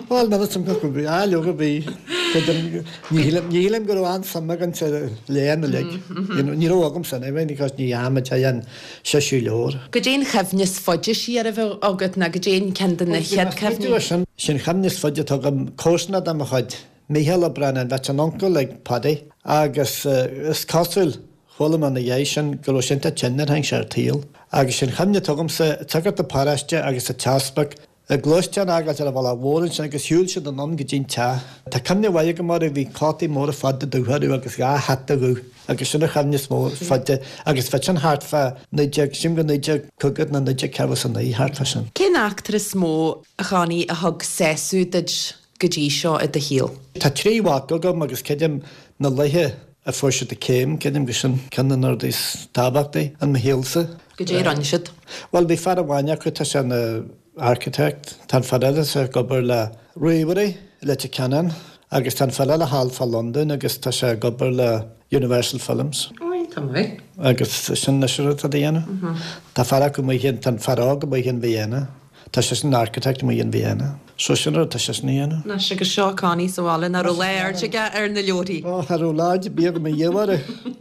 Bhuel, níl 'fhios a'm go bhí, ah, leoga bhí. Ní shílim, ní shílim go raibh an-suim againn sa léann uilig. You know, ní raibh agamsa anyway, because ní dheachaigh muid aon seisiú leabhar. Goidé an chuimhne is faide siar a bheadh agat nó goidé an ceann de na chéad cuimhní? Sin, sin chuimhne is faide atá agam, comharsana de mo chuid, Mícheál Ó Braonáin, bheadh an uncail ag Paddy agus is cosúil, chuala mé ina dhiaidh sin go raibh sé iontach tinn nuair a tháinig sé ar an tsaol. Agus sin chuimhne atá agamsa, sagart an pharóiste agus an t-easpag, a gluaisteán a fhágáilt ar an bhealach mhór ansin agus shiúil siad anonn go dtí an teach. Tá cuimhne mhaith agam orthu, bhí cótaí móra fada dubha orthu agus dhá hata dhubh agus sin an chuimhne is mó faide agus bheadh sin thart fá naoi déag, sílim go naoi déag caoga nó naoi déag ceathracha is a naoi, thart fá sin. Cén eachtra is mó, a Chonnie, a thug sásamh duit go dtí seo i do shaol? Tá trí mhac agam agus creidim na laethe a fuair siad a céim, creidim gur sin ceann de na rudaí is tábhachtaí in mo shaolsa. Goidé a rinne siad? Bhuel, bhí fear amháin acu, tá sé ina architect, tá an fear eile ag obair le ríomhairí i Leitir Ceanainn agus tá an fear eile thall fá Londain agus tá sé ag obair le Universal Films. Ó, iontach maith. Agus sin anois an rud atá a dhéanamh. Tá fear acu amuigh, tá an fear óg amuigh in Vienna. Tá seisean ina architect amuigh in Vienna. So sin rud atá seisean a dhéanamh. Anois agus seo Connie sa bhaile nach raibh aird aige ar na leabharthaí. Ó, cha raibh aird ar bith agam i dhiaidh orthu.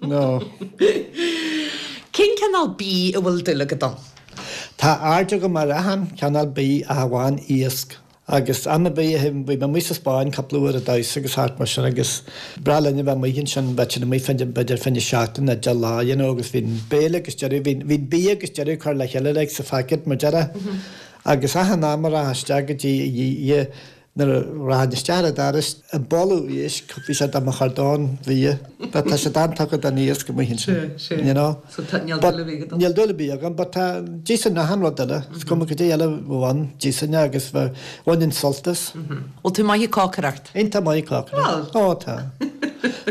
No. Cén cineál bídh a bhfuil dúil agat ann? Tá aird agam ar achan cineál bídh ach amháin iasc. Agus am ar bith a théim, bhí mé amuigh sa Spáinn cúpla uair ag damhsa agus thart mar sin agus breá linn a bheith amuigh ansin, bheadh sinn amuigh fá choinne b'fhéidir fá choinne seachtain nó deich lá, you know, agus bhí an béile agus deireadh, bhí, bhí an bia agus deireadh curtha le chéile like sa phacket mar déarfá. Agus achan am a rachfá isteach go dtí nuair a rachainn isteach ar an doras, an boladh éisc, bhí sé do mo chardán bhia. But tá siad an-tugtha don iasc amuigh ansin, you know. So tá, níl dúil ar bith agat ann? Níl dúil ar bith agam, but tá, d'íosfainn achan rud eile, is cuma cad é eile a bheadh ann, d'íosfainn é agus bhainfinn sult as. Bhfuil tú maith ag cócaireacht? Iontach maith ag cócaireacht. Ó tá.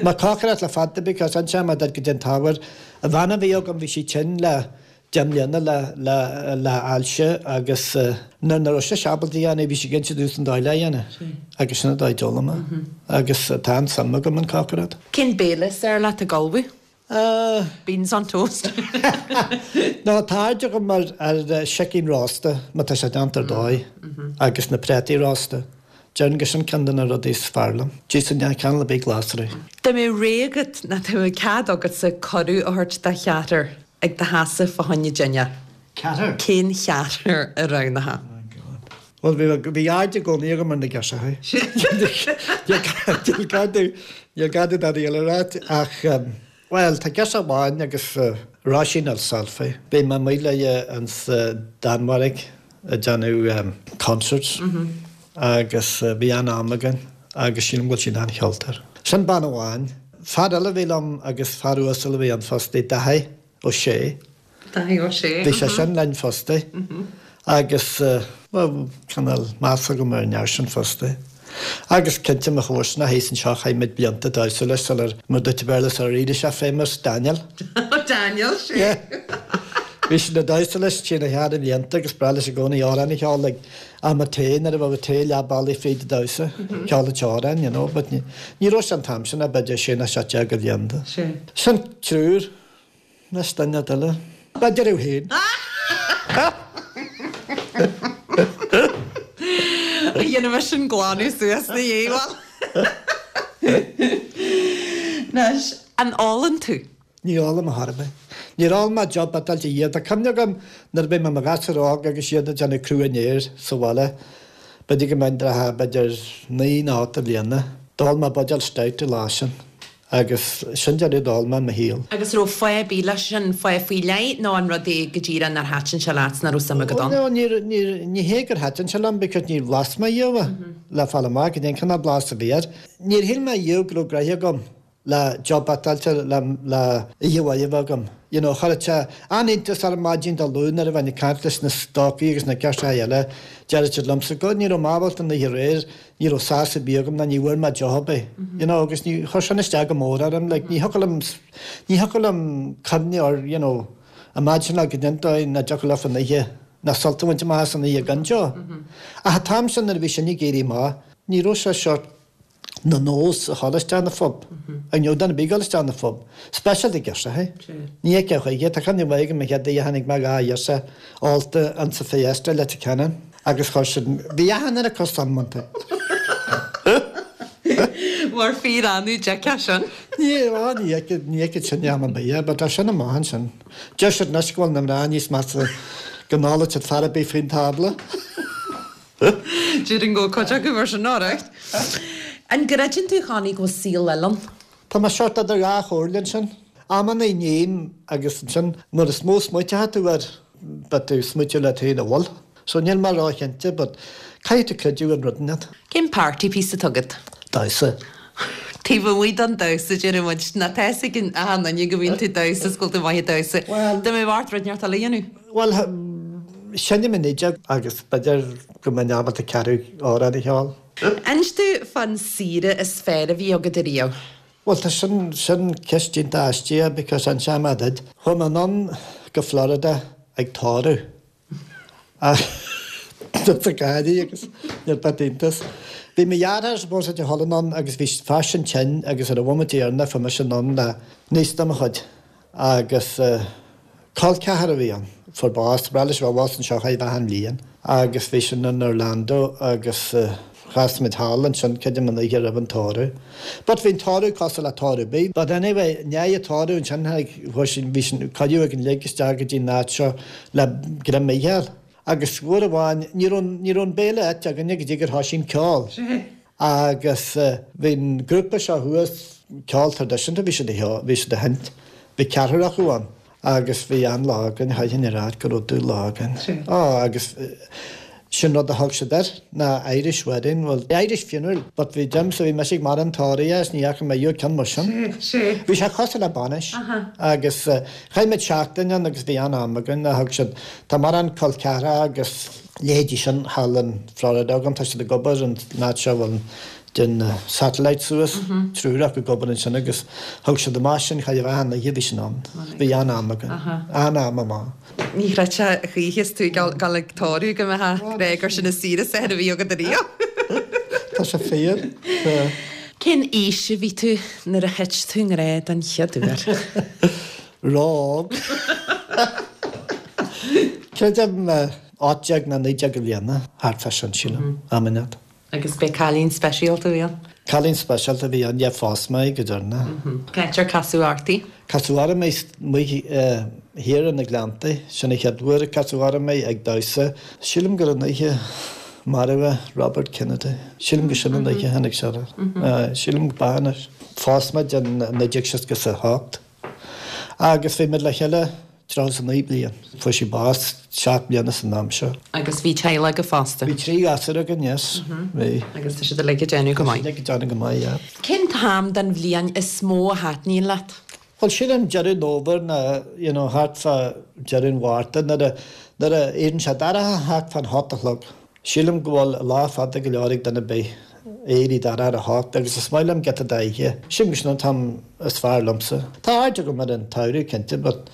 Má cócaireacht le fada because ansin má d'fhad go dtí an t-ábhar, an bhean a bhí agam bhí sí tinn le deich mbliana le le le ailse agus nuair nach raibh sise ábalta a dhéanamh bhí sí ag inse domhsa an dóigh le dhéanamh agus sin an dóigh a d'fhoghlaim mé agus tá an-suim agam in cócaireacht. Cén béile is fearr leat ag ullmhú? Beans on toast. No, tá aird agam ar ar sicín rósta má tá sé déanta ar dóigh agus na préataí rósta. Déarfainn gur sin ceann de na rudaí is fearr liom. D'íosfainn achan cineál ar bith glasraí. Dá mbeadh rogha agat nó dá mbeadh cead agatsa cuireadh a thabhairt do cheathrar ag do sheasamh fá choinne dinnéar. Ceathrar? Cén cheathrar a roghnófá? Oh God. Bhuel, bhí, bhí aird i gcónaí agam ar na girseachaí. Níl gá domh, níl gá domh dadaí eile a ráit ach, bhuel, tá girseach amháin agus Róisín Ó Sálfaigh. Bhí mé amuigh léi insa Danmhairg ag déanamh concerts agus bhí an-am againn agus sílim go bhfuil sí ina an-cheoltóir. Sin bean amháin. Fear eile a bhí liom agus fear uasal a bhí ann fosta, Daithí Ó Sé. Daithí Ó Sé. Bhí sé sin linn fosta agus, bhuel, cineál meas agam ar an fhear sin fosta. Agus cinnte mo chomharsana thíos anseo, chaith muid blianta ag damhsa leis sular, mar dúirt Béarla, sular éirigh sé famous, Daniel. Daniel, sé. Bhí siad ag damhsa leis trí na ceathair blianta agus breá leis i gcónaí amhrán a cheol ag am an tae nuair a bheadh an tae leath bealaigh fríd an damhsa, ceol an t-amhrán, you know, but ní raibh sé an t-am sin ach b'fhéidir sé nó seacht déag de bhlianta. Sin triúr, anois duine eile. B'fhéidir thú féin. Dhéanfaidh mise an glanadh suas 'na dhiaidh, bhuel. Anois, an ólann tú? Ní ólaim ar chor ar bith. Níor ól mé deoch biotáilte riamh. Tá cuimhne agam nuair a bhí mé i mo ghasúr óg agus iad ag déanamh crú an fhéir sa bhaile, b'fhéidir go mbeinn dreatha b'fhéidir naoi nó ocht de bhliana, d'ól mé buidéal stout an lá sin agus sin deireadh d'ól mé i mo shaol. Agus raibh fáth ar bith leis sin, fáth faoi leith nó an rud é go díreach nár thaitin sé leat, nach raibh suim agat ann? No, níor, níor, ní hé gur thaitin sé liom because níor bhlas mé riamh é le fáil amach cad é an cineál blas a bhí air. Níor shíl mé riamh go raibh gnoithe agam. le deoch biotáilte le le oíche mhaith a bheith agam. You know, chuirfeadh sé an-iontas orm maidin Dé Luain nuair a bheinn ag caint leis na stócaigh agus na girseachaí eile, déarfadh siad liomsa, God, ní raibh mé ábalta an oíche aréir, ní raibh sás ar bith agam ná ní bhfuair mé deoch ar bith. You know, agus ní, chuir sin isteach go mór orm, like, ní thiocfadh liom, ní thiocfadh liom cuimhneamh ar, you know, imagineáil go dtí an dóigh nach dtiocfadh leofa an oíche, ná sult a bhaint amach as an oíche gan deoch. Ach an t-am sin nuair a bhí sin ag éirí amach, ní raibh sé sort, 'na nós a dhul isteach 'na phub. Ach ní raibh duine ar bith ag dul isteach 'na phub. Speisialta girseachaí. Ní fheicfeá choíche. Tá cuimhne mhaith agam an chéad oíche a chonaic mé dhá ghirseach ólta insa Fiesta i Leitir Ceanainn agus chuir siad, bhí achan duine acu soineanta. Mar fíor-annamh a d'fheicfeá sin. Ní, á, ní fheicfead, ní fheicfead sin am ar bith, but tá sin amach ansin. Deir siad anois go bhfuil na mná níos measa go n-ólfadh siad fear ar bith faoin tábla. Déarfainn go bhfuil cuid acu mar sin, alright. An gcreideann tú, a Chonnie, go bhfuil saol eile ann? Tá mé sort idir dhá chomhairle ansin. Amannaí ním agus ansin nuair is mó smaoiteoidh tú air beidh tú ag smaoitiú leat féin an bhfuil. So níl mé róchinnte but caithfidh tú creidiúint in rud inteacht. Cén party piece atá agat? Damhsa. Taobh amuigh den damhsa, deir muid, nó tá fhios ag achan duine go mbíonn tú ag damhsa is go bhfuil tú maith ag damhsa. Dá mbeadh ort rud inteacht eile a dhéanamh? Bhuel, seinnim an fhidil agus b'fhéidir go mbeinn ábalta ceathrú amhrán a cheol. Inis domh fán saoire is fearr a bhí agat ariamh. Bhuel, tá sin, sin ceist iontach aisteach because inseoidh mé duit. Chuaigh mé anonn go Florida ag tórramh. Tá gáirí agus níl beart iontas. Bhí mo dheartháir supposed a dhul anonn agus bhí fear sin tinn agus ar an bhomaite dheireanach fuair mise anonn le niece de mo chuid agus col ceathar a bhí ann. fuair bás, ba bhreá leis a bheith abhus anseo chóir a bheith achan bhliain agus bhí sin in Orlando agus chas muid thall ansin creidim an oíche roimh an tórramh. But bhí an tórramh cosúil le tórramh ar bith. But anyway, i ndiaidh an tórraimh ansin tháinig, chuaigh sin, bhí sin, cuireadh againn uilig isteach go dtí an áit seo le greim a fháil. Agus uair amháin, ní raibh, ní raibh an béile ite againne go dtí gur thoisigh an ceol. Agus bhí an grúpa seo thuas, ceol traidisiúnta, bhí siad a, bhí siad a sheinnt, bhí ceathrar acu ann. Agus bhí an-lá againn, chaithfinn a rá go raibh dú-lá againn. Á, agus sin rud a thug siad air, ná Irish wedding, bhuel, Irish funeral, but bhí Jim, so bhí mise ag maireachtáil tórraimh is ní fhaca mé riamh ceann mar sin. Bhí sé cosúil le bainis. Agus chaith muid seachtain ann agus bhí an-am againn, a thug siad, tá mórán col ceathracha agus leithéidí sin thall in Florida agam, tá siad ag obair in áit seo a bhfuil den satellite suas, triúr acu ag obair ansin agus thug siad amach sinn chóir a bheith achan oíche bhí sin ann. Bhí an-am againn. An-am amach. Ní chreidfeá a choíche is tú ag dul ag tórramh go mbeifeá ag rá gur sin an saoire is fearr a bhí agat ariamh. Tá sé fíor. Cén aois a bhí tú nuair a thit tú i ngrá den chéad uair? Ró-óg. Creidim ocht déag nó naoi déag de bhliana, thart fá sin, sílim, am inteacht. Agus b'é cailín speisialta a bhí ann? Cailín speisialta a bhí ann, yeah, phós mé í go deireanach. Cá háit ar casadh ort í? Casadh orm í amuigh thiar in na Gleanntaí, sin an chéad uair a casadh orm í ag damhsa. Sílim gur an oíche maraíodh Robert Kennedy. Sílim gur sin an oíche a tháinig sé air. Sílim go b'ea anois. Phós muid in naoi déag seasca is a hocht agus bhí muid le chéile tríocha is a naoi bliain. Fuair sí bás seacht mbliana san am seo. Agus bhí teaghlach agaibh fosta? Bhí trí ghasúr againn, yes. Bhí. Agus tá siad uilig ag déanamh go maith? Tá siad uilig ag déanamh go maith, yeah. Cén t-am den bhliain is mó a thaitníonn leat? Bhuel, sílim deireadh an fhómhair nó, you know, thart fá deireadh an Mhárta nuair a, nuair a éiríonn sé dorcha thart fán hocht a chlog. Sílim go bhfuil lá fada go leor ag duine ar bith éirí dorcha ar a hocht agus is maith liom giota d'oíche. Sílim gur sin an t-am is fearr liomsa. Tá aird agam ar an tsamhradh, cinnte, but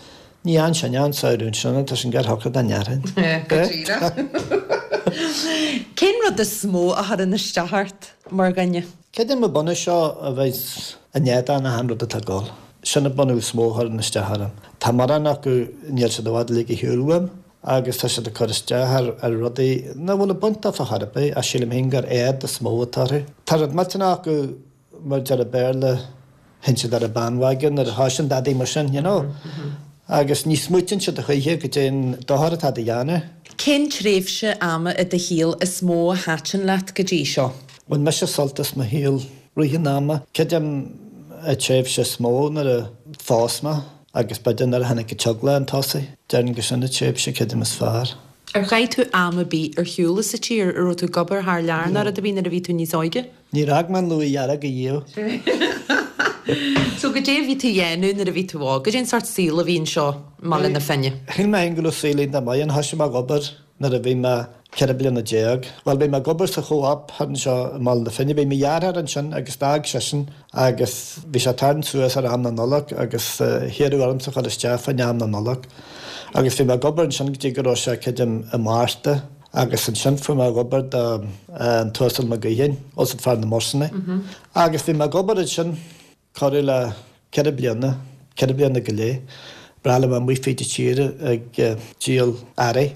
ní fhaigheann sin an samhradh ansin, tá sin gar shocair dá ndéarfainn. Go díreach. Cén rud is mó a chuireann isteach ort mar dhuine? Creidim an bunús seo a bheith in éadan achan rud atá ag dul. Sin an bunús is mó a chuireann isteach orm. Tá mórán acu, níl siad i bhfad ag ligint ar shiúl uaim agus tá siad ag cur isteach ar ar rudaí nach bhfuil ag baint dófa chor ar bith ach sílim féin gur éad is mó atá orthu. Tá rud millteanach acu mar deir an Béarla, théann siad ar an bandwagon nuair a thosaíonn dadaí mar sin, you know. Agus ní smaoitíonn siad a choíche goidé an dochar atá á dhéanamh. Cén tréimhse ama i do shaol is mó a thaitin leat go dtí seo? Bhain mise sult as mo shaol rith an ama. Creidim an tréimhse is mó nuair a phós mé agus b'fhéidir nuair a tháinig an teaghlach chun tosaigh. Déarfainn gur sin an tréimhse creidim is fearr. Ar chaith tú am ar bith ar shiúl as an tír? An raibh tú ag obair thar lear nó rud ar bith nuair a bhí tú níos óige? Níor fhág mé an Luaith Dhearg ariamh. So goidé a bhí tú a dhéanamh nuair a bhí tú óg? Goidé an sórt saol a bhí anseo i mBaile na Finne? Shíl mé féin go raibh saol iontach maith ann. Thoisigh mé ag obair nuair a bhí mé ceithre bliana déag. Bhuel, bhí mé ag obair sa Chomh-op thar anseo i mBaile na Finne. Bhí mo dheartháir ansin agus d'fhág seisean agus bhí sé ag tarraingt suas ar am na Nollag agus hiarradh ormsa a chur isteach fán am na Nollag. Agus bhí mé ag obair ansin go dtí go raibh sé, creidim, i Márta agus ansin fuair mé obair do an tUasal Mac Gaoithín, us fear na mbusanna. Agus bhí mé ag obair ansin corradh le ceithre bliana, ceithre bliana go leith. Breá liom amuigh fríd an tír ag díol earraí,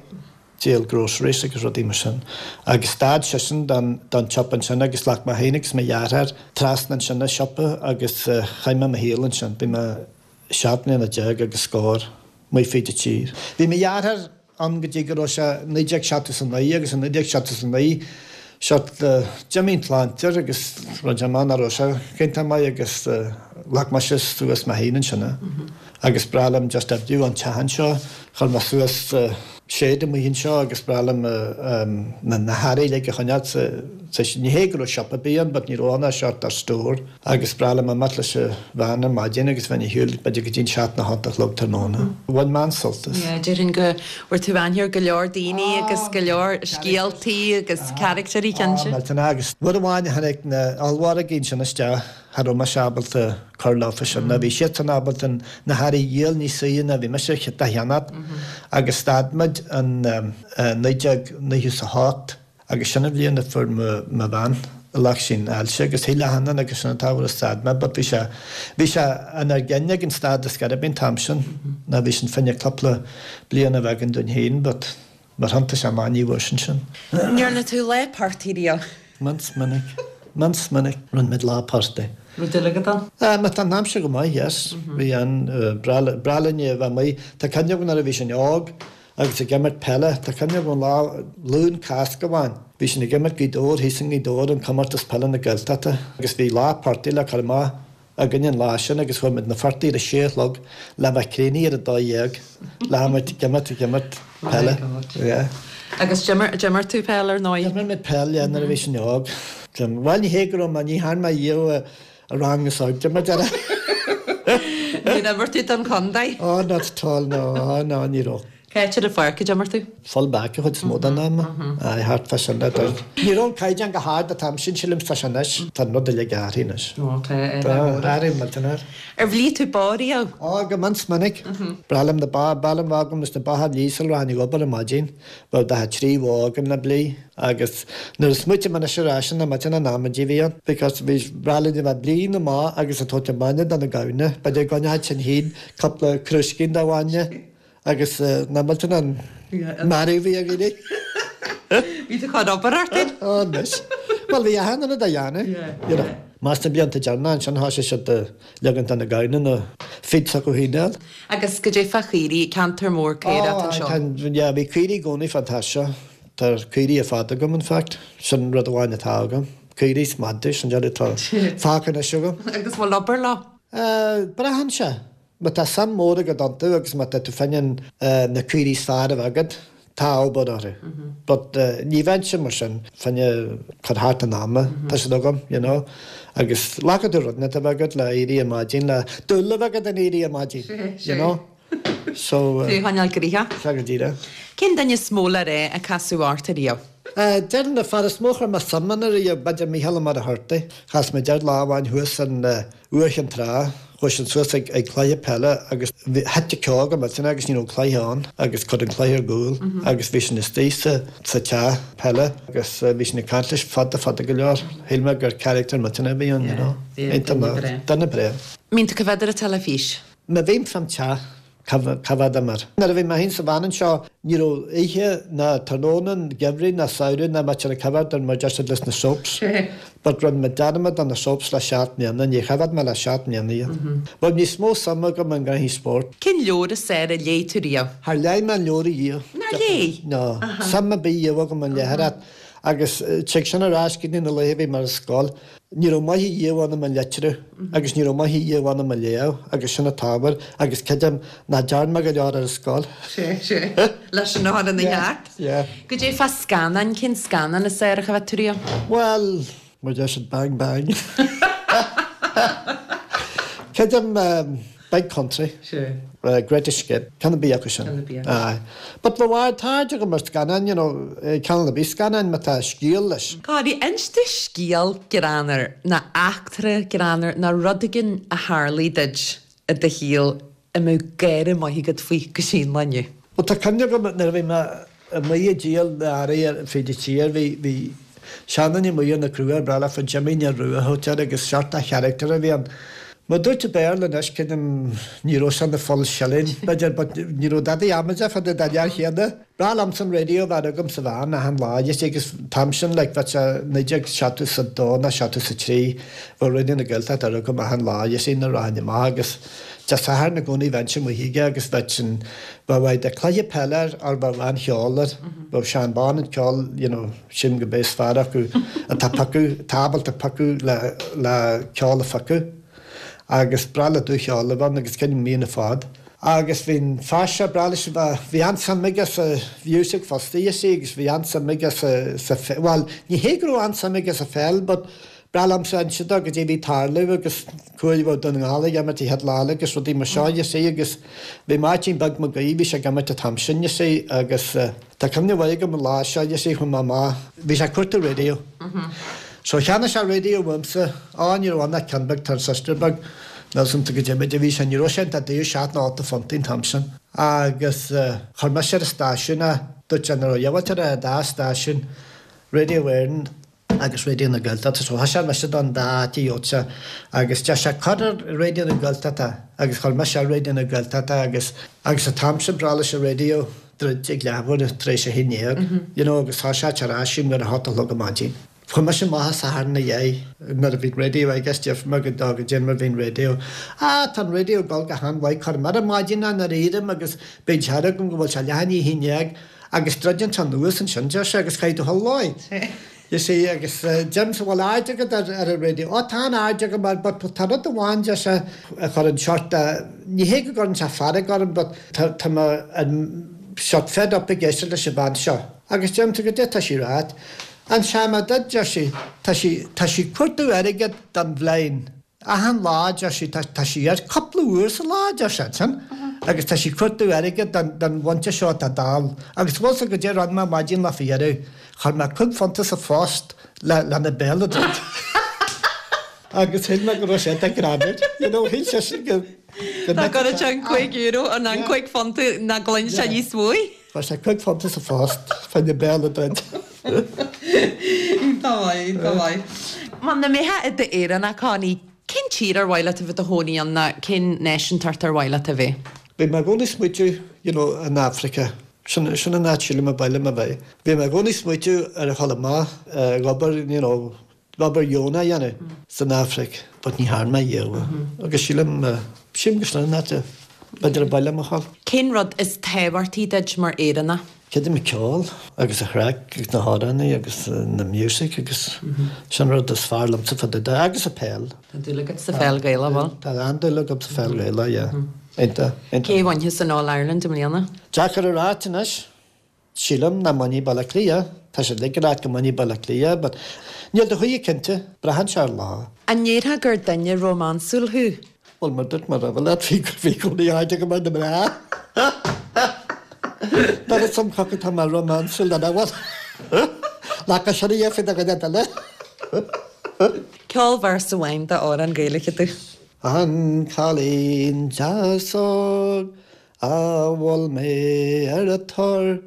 díol groceries agus rudaí mar sin. Agus stad seisean don don tsiopa ansin agus ghlac mé féin agus mo dheartháir trasna ansin an siopa agus chaith mé mo shaol ansin. Bhí mé seacht mbliana déag agus scór amuigh fríd an tír. Bhí mo dheartháir ann go dtí go raibh sé naoi déag seachtó is a naoi agus i naoi déag seachtó is a naoi seo d'imigh an tsláinte air agus rinne sé amach nach raibh sé go hiontach maith agus ghlac mise suas mé féin ansin agus breá liom just oibriú an teach anseo. Chuir mé suas shed amuigh anseo agus breá liom na hearraí uilig a choinneáil sa Ní hé go raibh siopa ar bith ann but ní raibh ann ach sort of store agus breá liom imeacht leis an veain ar maidin agus bheinn ar shiúl b'fhéidir go dtí an seacht nó hocht a chlog tráthnóna. Bhain mé an-sult as. Yeah, déarfainn go bhfuair tú aithne ar go leor daoine agus go leor scéaltaí agus caractéirí cinnte. Ah, millteanach agus uair amháin a tháinig na ollmhargaí ansin isteach cha raibh mise ábalta cur leofa sin ná bhí siadsan ábalta na hearraí a dhíol níos saoire ná bhí mise dá cheannacht agus stad muid in naoi déag nócha is a hocht. Agus sin an bhliain a fuair mo bhean ghlac sin ailse agus shíl achan duine agus sin an t-ábhar a stad mé but bhí sé bhí sé inár gcinn ag an stad a scor ar bith an t-am sin ná bhí sin fá choinne cúpla bliain a bheith againn dúinn féin but mar thiontaigh sé amach ní bhfuair sin sin. Ndearna tú lá party riamh? Mion minic. Mion minic. Rinne muid lá party. Raibh dúil agat ann? Ah, má tá an aimsir go maith, yes. Bhí an breá breá linn a bheith amuigh. Tá cuimhne agam nuair a bhí sinn óg agus ag imirt peile, tá cuimhne agam lá Luan Cásca amháin, bhí sinn ag imirt Gaoth Dobhair, thíos i nGaoth Dobhair, an comórtas peile na Gaeltachta agus bhí lá party le cur amach againn an lá sin agus chuaigh muid na party ar a sé a chlog le bheith críochnaithe ar a dó dhéag le imirt ag imirt ag imirt peile. Yeah. Agus d'imir d'imir tú peil ar ndóigh? D'imir muid peil, yeah, nuair a bhí sinn óg. Bhuel ní hé go raibh mé, ní thearn mé riamh i rang is airde mar deir. Níor imir tú don chontae? Oh, not at all, no, oh, no, ní raibh. Cá háit ar an pháirc a d'imir tú? Full back an chuid is mó den am. Aye, thart fá sin a deir. Ní raibh an caighdeán chomh hard an t-am sin, sílim, tá sé anois. Tá an rud uilig athraithe anois. Ó, tá, Tá, athraithe millteanach. Ar bhlí tú ba riamh? Ó, go mion is minic. Breá liom na ba, breá liom bheith agam is na ba a bhlí sula rachainn ag obair ar maidin. Bheadh daichead trí bhó agam le blí agus nuair a smaoitim anois ar ais an maidin an amaidí a bhí ann because bhí breá linn a bheith ag blí na mba agus ag tabhairt an bainne do na gamhna. B'fhéidir go gcoinneodh sinn féin cúpla crúiscín de bhainne agus nach millteanach an mearú a bhí ar dhaoine. Bhí tú chun obair ort féin? Ó, anois. Bhuel, bhí achan duine dá dhéanamh, you know. Más na blianta deireanacha ansin thosaigh siad ag ligean do na gamhna na feed s'acu féin a fháil. Agus goidé fá chaoirigh, ceantar mór caorach atá anseo. Ó, yeah, bhí caoirigh i gcónaí fán teach seo. Tá caoirigh ar fad agam, in fact. Sin rud amháin atá agam. Caoirigh is madraí, sin deireadh atá fágtha anois agam. Agus bhfuil obair leo? Braitheann sé. Má tá suim mór agat iontu agus má tá tú fá choinne na caoirigh is fearr a bheith agat, tá obair orthu. But ní bheinnse mar sin fá choinne cur thart an ama, tá siad agam, you know. Agus glacann tú rud inteacht a bheith agat le éirí ar maidin, le dúil a bheith agat in éirí ar maidin, you know. So. Tú a choinneáil gnoitheach. Sea go díreach. Cén duine is mó le rá a casadh ort ariamh? Déarfainn an fear is mó a chuir mé suim ann ariamh, b'fhéidir Mícheál Ó Muircheartaigh. Chas mé air lá amháin thuas in Uaimh Chinn Trá. Chuaigh sinn suas ag ag cluiche peile agus bhí thit an ceo go millteanach agus ní raibh cluiche ann agus cuireadh an cluiche ar gcúl agus bhí sinn istigh sa sa teach peile agus bhí sinn ag caint leis fada fada go leor. Shíl mé gur character millteanach a bhí ann, you know. Iontach maith. Duine breá. Mbíonn tú coimhéad ar an teilifís? Má bhím fán teach, coimhéadaim air. Nuair a bhí mé féin sa veain anseo, ní raibh oíche ná tráthnóna an gheimhridh ná samhradh nach mbeadh ag coimhéad ar mar deir siad leis na soaps. But rinne mé dearmad de na soaps le seacht mbliana, níor choimhéad mé le seacht mbliana iad. Bheadh níos mó suime agam i ngnóthaí spóirt. Cén leabhar is fearr a léigh tú riamh? Char léigh mé an leabhar ariamh. Nár léigh? No. Suim ar bith riamh agam i léitheoireacht. Agus tig sin ar ais go dtí na laetha a bhí mé ar scoil. Ní raibh maith ariamh ionam i litriú agus ní raibh maith ariamh ionam i léamh agus sin an t-ábhar agus creidim nach dtearn mé go leor ar an scoil. Sea, sea. Leis sin a chur ina cheart. Yeah. Goidé fá scannáin, cén scannán is fearr a choimhéad tú riamh? Bhuel, mar deir siad bang bang. Creidim Big Country. Sea. Great Escape, ceann ar bith acu sin. Ceann ar bith acu. Aye. But le bhfad, tá aird agam ar scannáin, you know, ceann ar bith scannáin má tá scéal leis. Corry, inis domh scéal greannmhar, nó eachtra greannmhar, nó rud éigin a tharlaigh duit i do shaol a mbeadh gáire maith agat faoi go dtí an lá inniu. Bhuel, tá cuimhne agam nuair a bhí mé amuigh ag díol na earraí ar fud an tír, bhí, bhí seanduine amuigh ar na Cruaich, breá leofa Jimmy Neil Rua a thugtaí air agus seort de character a bhí ann. Má dúirt i Béarla anois, creidim, ní raibh sé ina full shilling, b'fhéidir, but ní raibh dadaí amaideach fá dtaobh den fhear chéanna. Breá liomsa an radio a bheith agam sa veain achan lá, you see, agus an t-am sin, like, bheadh sé naoi déag seachtó is a dó nó seachtó is a trí, bheadh Raidió na Gaeltachta ar agam achan lá, you see, nuair a rachainn amach agus Dé Sathairn i gcónaí bheinnse amuigh aige agus bheadh sin, bheadh either cluiche peile air or bheadh an-cheol air, bheadh Seán Bán an ceol, you know, sílim go b'é is fearr acu atá piocadh, atá ábalta piocadh le, le ceol a phiocadh agus breá le dúcheol a bheith ann agus creidim míonna fad. Agus bhí an fear seo breá leis a bheith, bhí an-suim aige sa mhiúsac fosta, you see, agus bhí an-suim aige sa, sa, bhuel, ní hé go raibh an-suim aige sa pheil but Breá liomsa inse dó goidé bhí ag tarlú agus cá huair a bheadh Dún na nGall ag imirt an chéad lá eile agus rudaí mar seo, you see, agus bhí Máirtín Beag Mac Aoidh, bhí sé ag imirt an t-am sin, you see, agus tá cuimhne mhaith agam an lá seo, you see, chuaigh mé amach, bhí sé ag cuartú radio. So cheannaigh sé radio uaimse, á ní raibh ann ach ceann beag transistor beag, níl 's a'msa goidé méid a bhí sé, ní raibh sé iontach daor, seacht nó ocht phuntaí an t-am sin. Agus chuir mise ar an stáisiún é, dúirt sé nach raibh diabhal ar an dá stáisiún, Radio Éireann, agus Raidió na Gaeltachta so thoisigh mise don dá áit agus deir sé cuir ar Raidió na Gaeltachta agus chuir mise ar Raidió na Gaeltachta agus agus an t-am sin breá leis an raidió druid ag leathuair tar éis a haon déag you know agus tá sé tar éis nuair a hocht a chlog ar maidin. Chuaigh mise amach an Satharn ina dhiaidh nuair a bhí raidió agus deir mé go dá go dté mar bhí an raidió. Ah tá an raidió ag dul go han-mhaith cuir mar an maidin nuair a éirím agus bíonn sé agam go bhfuil sé leath i ndiaidh a haon déag agus druideann sé anuas ansin deir sé agus caithfidh tú a dhul You see agus deirimse bhfuil aird agat ar ar an raidió. Ó tá an aird agam air but tá rud amháin deir sé a chuireann sort ní hé go gcuireann sé fearg orm but tá tá mé an sort fed up ag éisteacht leis an bhean seo. Agus deirimse goidé tá sí ag ráit. An seama duit deir sí tá sí tá sí ag cuartú airgead don bhliain. Achan lá deir sí tá tá sí ar cúpla uair sa lá deir sé ansin agus tá sí ag cuartú airgead don don mhuintir seo atá dall. Agus bhfuil sa goidé a rinne mé maidin lá faoi dheireadh. Chuir mé cúig phunt sa phost le lena béal a druid. Agus shíl mé go raibh sé ag greamú. You know, shíl seisean go go Tá go raibh an cúig euro an an cúig phunt nach gcluin sé níos mó. Chuir sé cúig phunt sa phost fá na béal a druid. Tá maith, tá maith. Muna mbeifeá i d'Éireannach Connie, cén tír ar mhaith leat a bheith i do chónaí ann ná cén náisiúntacht ar mhaith leat a bheith? Bhí mé i gcónaí ag smaoitiú you know, in Africa. Sin sin an áit sílim a b'áil liom a bheith. Bhí mé i gcónaí ag smaoitiú ar a dhul amach ag obair you know, obair dheonach a dhéanamh san Afraic, but ní thearn mé riamh. Agus sílim sílim go sin an áit a b'fhéidir a b'áil liom a dhul. Cén rud is tábhachtaí duit mar Éireannach? Creidim an ceol agus an chraic agus na hamhráin agus na music agus sin rud is fearr liomsa fá dtaobh de agus an peil. Tá dúil agat sa pheil Ghaelach bhfuil? Tá an-dúil agam sa pheil Ghaelach, yeah. Iontach, iontach. Cé a bhainfeas an All Ireland i mbliana? Deacair a ráit anois. Sílim nach mbainfidh Baile Átha Cliath. Tá siad ag rá go mbainfidh Baile Átha Cliath, but níl do chuí cinnte, braitheann sé ar lá. An ndéarfá gur duine rómánsúil thú? Bhuel mar dúirt mé roimhe leat bhí bhí cónaí aird agam ar na mná. Dar is am chucu tá mé rómánsúil den bhfuil. Leaca sin a dhéanfaidh do dhuine eile. Ceol véarsa amháin d'amhrán Gaeilge domh. An cailín deas óg a mhol mé ar an tor,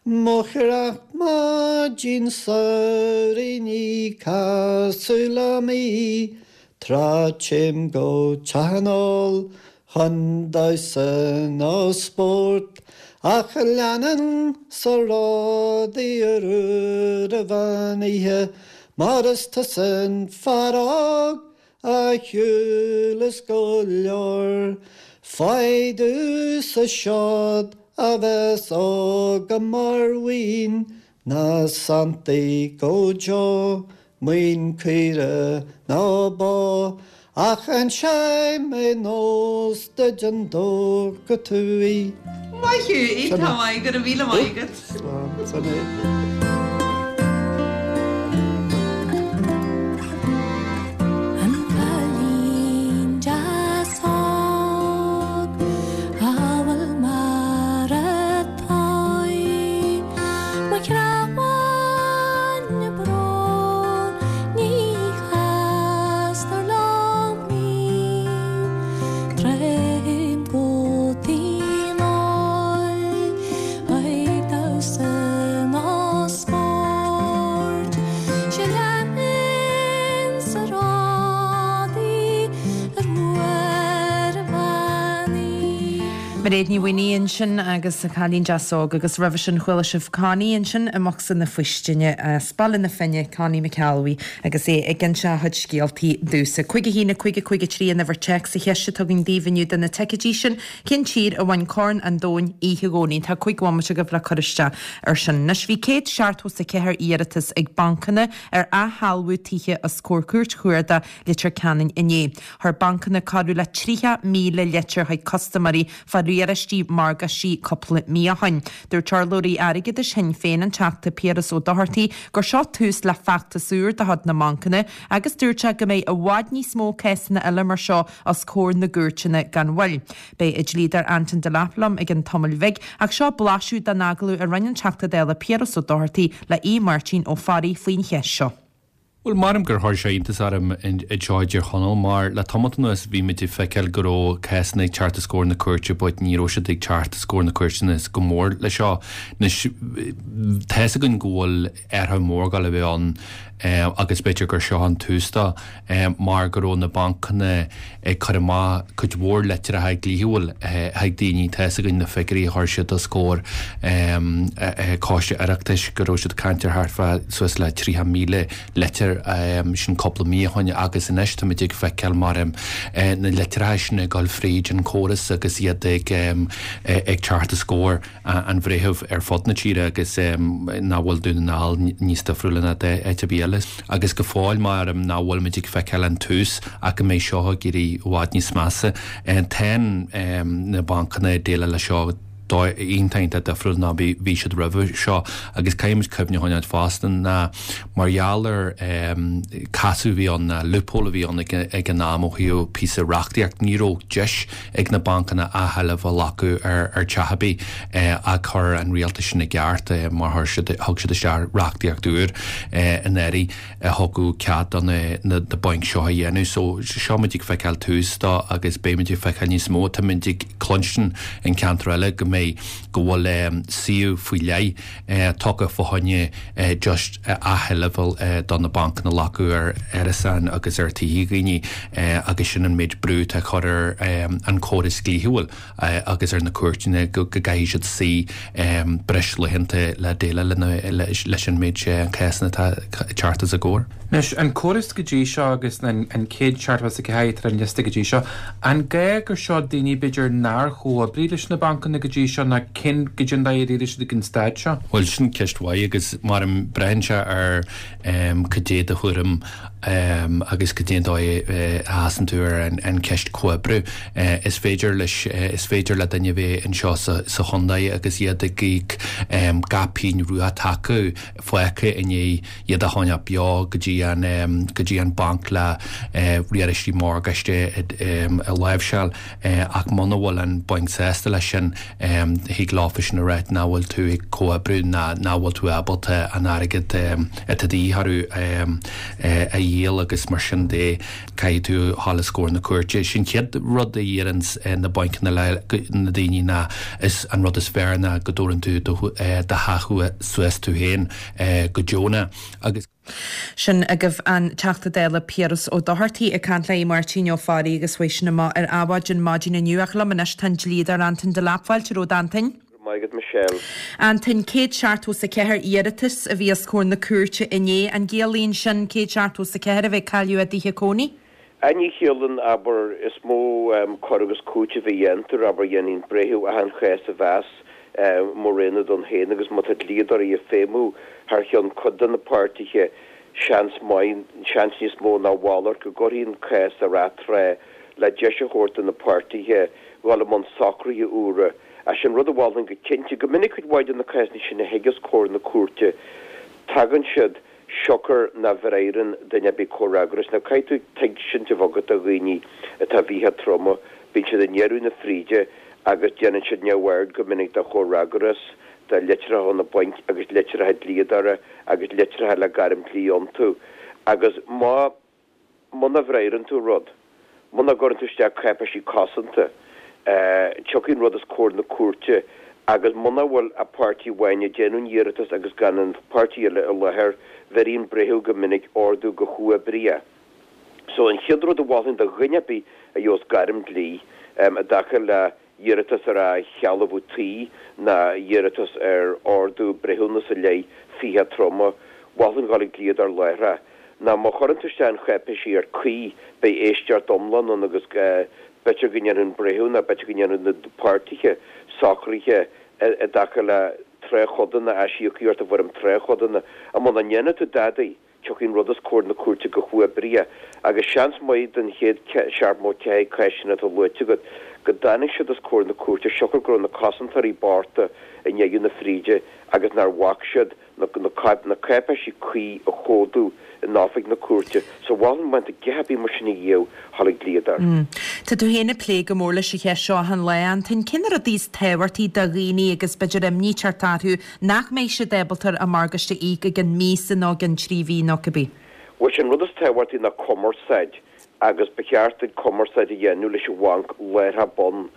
Mo chreach maidin samhraidh ní casadh liom í, Tráth téim go teach an óil chun damhsa nó spóirt, Ach leanann sa ródaí ar uair an mheán oíche, Mar is tusa an fear óg a shiúlas go leor. Faigh domhsa seod a bheas agam mar mhaoin, Ná sanntaigh go deo maoin caora ná bó, Ach inseoidh mé nós duit an dtógfaidh tú í. Maith thú, iontach maith, go raibh míle maith agat. Slán, sin é. An cailín deas óg a bhfuil mar atá Mo chreach brón ní chastar liom í Téim go tigh an óil ag damhsa nó spóirt sé lean sa rádaí ar uair a mheán Mairéad Ní Mhaonaigh ansin agus an cailín deas óg agus roimhe sin chuala sibh Connie ansin i mbocsa na faoistine as Baile na Finne Connie McAlwee agus é ag inse a chuid scéaltaí domhsa. Cúig a haon cúig cúig trí an uimhir téacs an cheist atá againn daoibh inniu do na ticéidí sin cén tír a bhain Corn an Domhain oíche Dhomhnaigh tá cúig bhomaite agaibh le cur isteach ar sin. Anois bhí céad seachtó is a ceathair iarratas ag bancanna ar athshealbhú tithe os comhair cúirt chuarda Leitir Ceanainn inné. Chuir bancanna corradh le tríocha míle litir chuig custaiméirí fá riaráistí morgáistí cúpla mí ó shin. Dúirt urlabhraí airgeadais Shinn Féin an Teachta Piaras Ó Dochartaigh gur seo tús le feachtas úr de chuid na mbancanna agus dúirt sé go mbeidh i bhfad níos mó cásanna eile mar seo os comhair na gcúirteanna gan mhoill. Beidh an dlíodóir Anton Delap liom i gceann tamaill bhig ach seo blaiseadh den agallamh a rinne an Teachta Dála Piaras Ó Dochartaigh le Aodh Máirtín Ó Fearraigh faoin cheist seo. Bhuel, maram gur chuir sé iontas orm anseo i dTír Chonaill mar le tamall anuas bhí muid ag feiceáil go raibh cásanna ag teacht os comhair na cúirte but ní raibh siad ag teacht os comhair na cúirteanna go mór le seo. Anois tá's againn go bhfuil athrú mór ag dul a bheith ann agus b'fhéidir gur seo an tús dó mar go raibh na bancanna ag cur amach cuid mhór litreacha dlíthiúil chuig daoine. Tá's againn na figiúirí a chuir siad os comhair Coiste Oireachtais go raibh siad ag caint ar thart fá suas le tríocha míle litir sin cúpla mí ó shoin agus anois táimid ag feiceáil mar na litreacha sin ag dul fríd an córas agus iad ag ag teacht os comhair an bhreithimh ar fud na tíre agus nach bhfuil Dún na nGall níos difriúla ná áit ar bith eile. Agus go fóill mar nach bhfuilimid ag feiceáil an tús ach go mbeidh seo ag éirí i bhfad níos measa. Tá na bancanna ag déileáil leis seo dóigh iontach iontach difriúil ná bhí siad roimhe seo agus caithfimid cuimhne a choinneáil fosta ná mar gheall ar casadh a bhí ann ná loophole a bhí ann ag an am ó thaobh píosa reachtaíocht ní raibh deis ag na bancanna athsheilbh a ghlacadh ar ar teach ar bith ach chuir an rialtas sin i gceart mar chuir siad thug siad isteach reachtaíocht úr anuraidh a thugadh cead do na bainc seo a dhéanamh. So seo muid ag feiceáil tús dó agus beidh muid ag feiceáil níos mó. Tá muid ag cluinstin in ceantar eile go mbeidh go bhfuil suíomh faoi leith tugtha fá choinne just athsheilbh do na bancanna a ghlacadh ar árasáin agus ar tithe dhaoine agus sin an méid brú atá á chur ar an córas dlíthiúil agus ar na cúirteanna go gcaithfidh siad suí breis laethanta le déileáil leis an méid cásanna atá ag teacht os a gcomhair. Anois, an córas go dtí seo agus an céad seachtó is a ceathair atá ar an liosta go dtí seo, an gá gur seo daoine b'fhéidir nár chomhoibrigh leis na bancanna go dtí seo ná cén goidé an dóigh ar éirigh siad ag an staid seo? Bhuel, sin ceist mhaith agus mar a braitheann sé ar cad é do thuairim agus cad é an dóigh a sheasann tú ar an cheist comhoibriú. Is féidir leis, is féidir le duine a bheith anseo sa chontae agus iad ag íoc gach pingin rua atá acu fágtha i ndiaidh iad a choinneáil beo go dtí an go dtí an banc le riaráistí morgáiste a láimhseáil ach muna bhfuil an banc sásta leis sin thig leofa sin a ráit nach bhfuil tú ag comhoibriú ná nach bhfuil tú ábalta an airgead atá de dhíth orthu a dhíol agus mar sin de caithfidh tú a ghabháil os comhair na cúirte. Sin chéad rud a iarrann na bainceanna le na daoine ná is an rud is fearr ná go dtabharann tú do theach suas tú féin go deonach agus. Sin agaibh an Teachta Dála Piaras Ó Dochartaigh ag caint le Máirtín Ó Fearraigh agus chuaigh sin amach ar Adhmhaidin maidin inniu ach liom anois tá an dlíodóir Antain Delap. Fáilte romhat Antain. Go raibh maith agat Michelle. Antain, céad seachtó is a ceathair iarratas a bhí os comhair na cúirte inné. An gciallaíonn sin céad seachtó is a ceathair a bheith ag cailleadh a dtithe cónaí? Á ní chiallaíonn, abair, is mó cur agus cúiteamh a dhéantar, abair, dhéanfaidh an breitheamh achan chás a mheas mar aonad ann féin agus má tá dlíodóirí ag feidhmiú thar cheann cuid de na páirtithe, seans maith, seans níos mó ná a mhalairt, go gcuirfí an cás ar atráth le deis a thabhairt do na páirtithe dhul i mbun socruithe úra. Ach sin rud a mholfainn go cinnte. Go minic cuid mhaith de na cásanna sin a thig os comhair na cúirte, tagann siad siocair nach bhfreagraíonn duine ar bith comhfhreagras. Now caithfidh tú tuigsint a bheith agat do dhaoine atá i bhfiacha troma, bíonn siad i ndeireadh na fríde agus déanann siad neamhaird go minic de chomhfhreagras, de litreacha ó na bainc agus litreacha dlíodóra agus litreacha le gairm dlí iontu. Agus má, muna bhfreagraíonn tú rud, muna gcuireann tú isteach cáipéisí cosanta, tiocfaidh an rud os comhair na cúirte agus muna bhfuil ach páirtí amháin ag déanamh an iarratais agus gan an páirtí eile i láthair, bheirfidh an breitheamh go minic ordú go huathoibríoch. So an chéad rud a mholfainn do dhuine ar bith a gheobhas gairm dlí i dtaca le iarratas ar athshealbhú tí ná iarratas ar ordú breithiúnas i leith fiacha troma, mholfainn dhul ag dlíodóir láithreach. Ná má chuireann tú isteach an cháipéisí ar cuí, beidh éisteacht iomlán ann agus b'fhéidir go ndéanfaidh an breitheamh ná b'fhéidir go ndéanfaidh na páirtithe socruithe i dtaca le tráthchodanna, aisíocaíocht i bhfoirm tráthchodanna. Ach muna ndéanfaidh tú dadaí, tiocfaidh an rud os comhair na cúirte go huathoibríoch agus seans maith den chéad seachtó ceathair cás sin atá luaite agat go dtáinig siad os comhair na cúirte siocair go raibh na cosantóirí bochta i ndeireadh na fríde agus nár bhac siad na na cáipéisí cuí a chomhdú in oifig na cúirte. So mholfainn má tá giolla ar bith mar sin a dhíobh dhul ag dlíodóir. Tá tú féin ag plé go mór leis an cheist seo achan lá, Antain. Cé na rudaí is tábhachtaí do dhaoine agus b'fhéidir imní ag teacht orthu nach mbeidh siad ábalta a morgáiste a íoc i gcionn míosa nó i gcionn trí mhí nó cibé? Bhuel, sé an rud is tábhachtaí ná cumarsáid agus ba cheart duit cumarsáid a dhéanamh leis an bhanc láithreach bonn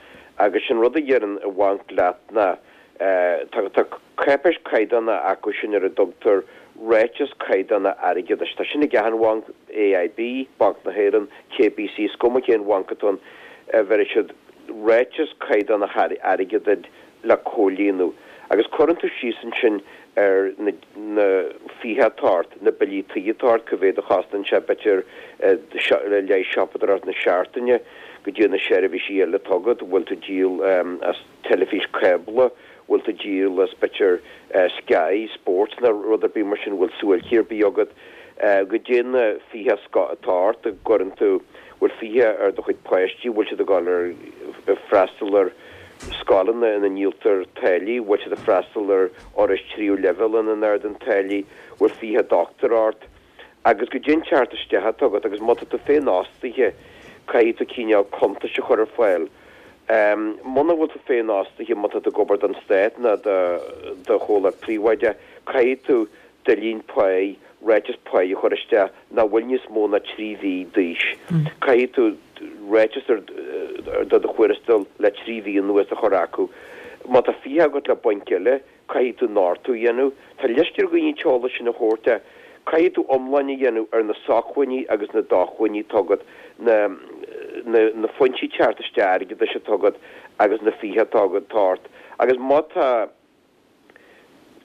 agus sé an rud a deireann an bhanc leat ná tá tá cáipéis caighdeánach acu sin ar a dtugtar ráiteas caighdeánach airgeadais. Tá sin ag achan bhanc, AIB, Banc na hÉireann, KBC, is cuma cén bhanc atá ann, bheirfidh siad ráiteas caighdeánach airgeadais duit le comhlíonadh. Agus cuireann tú síos ansin ar na na fiacha atá ort, na billí tí atá ort, cá mhéad a chosnaíonn sé b'fhéidir le haghaidh siopadóireacht na seachtaine, goidé na seirbhísí eile atá agat, bhfuil tú ag díol as teilifís cábla, bhfuil tú ag díol as b'fhéidir Sky Sports nó rud ar bith mar sin, bhfuil suáilcí ar bith agat, goidé na fiacha atá ort, a gcuireann tú, bhfuil fiacha ar do chuid páistí, bhfuil siad ag dul ar freastal ar. scoileanna ina ndíoltar táillí, bhfuil siad ag freastal ar fhorais tríú leibhéal ina n-ardaíonn táillí, bhfuil fiacha dochtúra ort, agus goidé an teacht isteach atá agat, agus má tá tú féinfhostaithe, caithfidh tú cineál cuntais a chur ar fáil. Muna bhfuil tú féinfhostaithe, má tá tú ag obair don stát nó do do chomhlacht príobháideach, caithfidh tú duillín páí, ráiteas páí a chur isteach nach bhfuil níos mó ná trí mhí d'aois. Caithfidh tú ráiteas ar do do thuarastal le trí mhí anuas a chur acu. Má tá fiacha agat le bainc eile, caithfidh tú nochtadh a dhéanamh. Tá leisce ar dhaoine an t-eolas sin a thabhairt ach caithfidh tú iomlán a dhéanamh ar na sócmhainní agus na dócmhainní atá agat, na na foinsí teacht isteach airgeadais atá agat agus na fiacha atá agat atá ort. Agus má tá.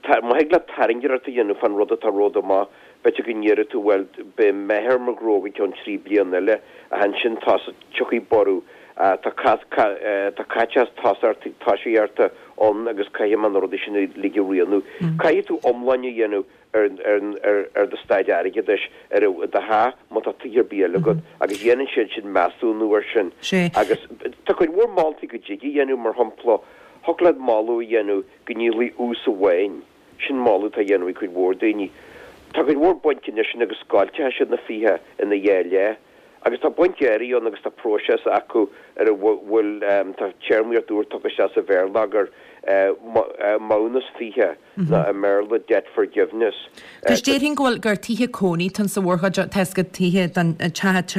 Má thig leat tairngreacht a dhéanamh fán rud atá romhat amach, b'fhéidir go ndéarfaidh tú, bhuel, beidh meath ar mo ghnó go ceann trí bliana eile, ach ansin tiocfaidh borradh, tá tá caiteachas tosaíochta ann agus caithfidh mé na rudaí sin uilig a rianú. Caithfidh tú iomlán a dhéanamh ar ar ar do staid airgeadais, ar do theach, má tá tithe ar bith eile agat, agus dhéanann siad sin measúnú air sin. Agus tá cuid mhór moltaí go dtig a dhéanamh, mar shampla, Thiocfadh leat moladh a dhéanamh go ndíolfaí ús amháin. Sin moladh atá á dhéanamh ag cuid mhór daoine. Tá cuid mhór bainc anois agus scoilteann siad na fiacha ina dhá leith. Agus tá bainc áirithe ann agus tá próiseas acu ar a bhfuil, tá téarmaíocht úr tugtha isteach sa bhéarlagair, maithiúnas fiacha nó i mBéarla debt forgiveness. Agus déarfainn go bhfuil gur tithe cónaí atá ann sa mhórchuid, tá 'fhios agat tithe don teach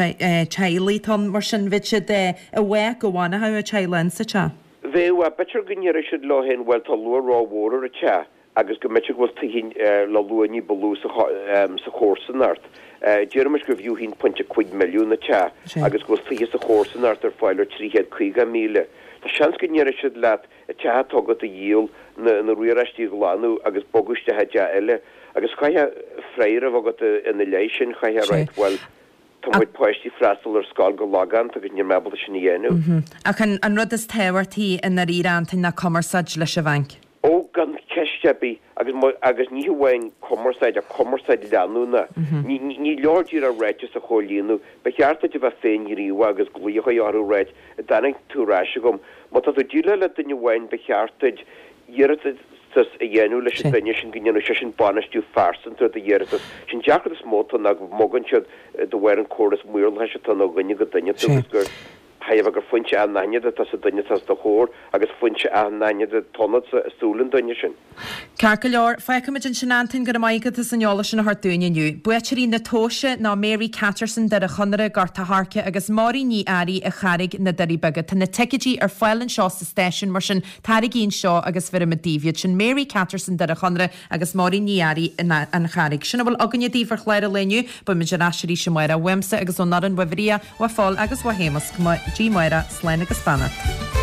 teaghlaigh atá ann mar sin bheadh siad i bhfách go bhfanfadh an teaghlach insa teach. Bheadh, b'fhéidir go ndéarfadh siad leo féin, bhuel, tá luach rómhór ar an teach agus go mb'fhéidir go bhfuil tithe le luach ní ba lú sa chomharsanacht. Déarfaimis gur fiú a haon pointe cúig milliún an teach agus go bhfuil tithe sa chomharsanacht ar fáil ar trí chéad caoga míle. Tá seans go ndéarfadh siad leat an teach atá agat a dhíol, na riaráistí a ghlanadh agus bogadh isteach i dteach eile. Agus chaithfeá freagra a bheith agat ina leith sin, chaithfeá a ráit, bhuel, Tá mo chuid páistí freastal ar scoil go logánta agus níl mé ábalta sin a dhéanamh. Ach an rud is tábhachtaí i ndáiríre, Antain, ná cumarsáid leis an bhanc. Ó, gan ceist ar bith. Agus, agus ní hamháin cumarsáid, ach cumarsáid leanúnach. Ní, ní leor díreach ráiteas a chomhlíonadh. Ba cheart duit a bheith féinghníomhach agus glaoch a chur orthu a ráit, an dtáinig tú ar ais chugam. Má tá tú ag déileáil le duine amháin, ba cheart duit iarratas a dhéanamh leis an duine sin go ndéanfadh seisean bainistiú phearsanta ar do iarratas. Sin deacracht is mó atá ann ná go mbogann siad de bharr an córas maorlathais atá ann ó dhuine go duine tú agus gur thaobh gur foinse anaithnid atá sa duine atá os do chomhair agus foinse anaithnid atá ionatsa i súile an duine sin. Ceart go leor, fágfaimid ansin Antain, go raibh maith agat as an eolas sin a thabhairt dúinn inniu. Buaiteoirí na tomhaise ná Mary Catterson, Doire Chonaire, Gort a' Choirce agus Máirín Ní Fhearraigh, An Charraig, Na Doirí Beaga. Tá na ticéidí ar fáil anseo sa stáisiún, mar sin taraigí anseo agus bheirfimid daoibh iad. Sin Mary Catterson, Doire Chonaire agus Máirín Ní Fhearraigh, An Charraig. Sin a bhfuil againne daoibh ar chlár an lae inniu. Beimid ar ais arís amárach. Uaimse agus ón fhoireann, uaidh Mharia, uaidh Phól agus uaidh Shéamus. Go dtí amárach, slán agus beannacht.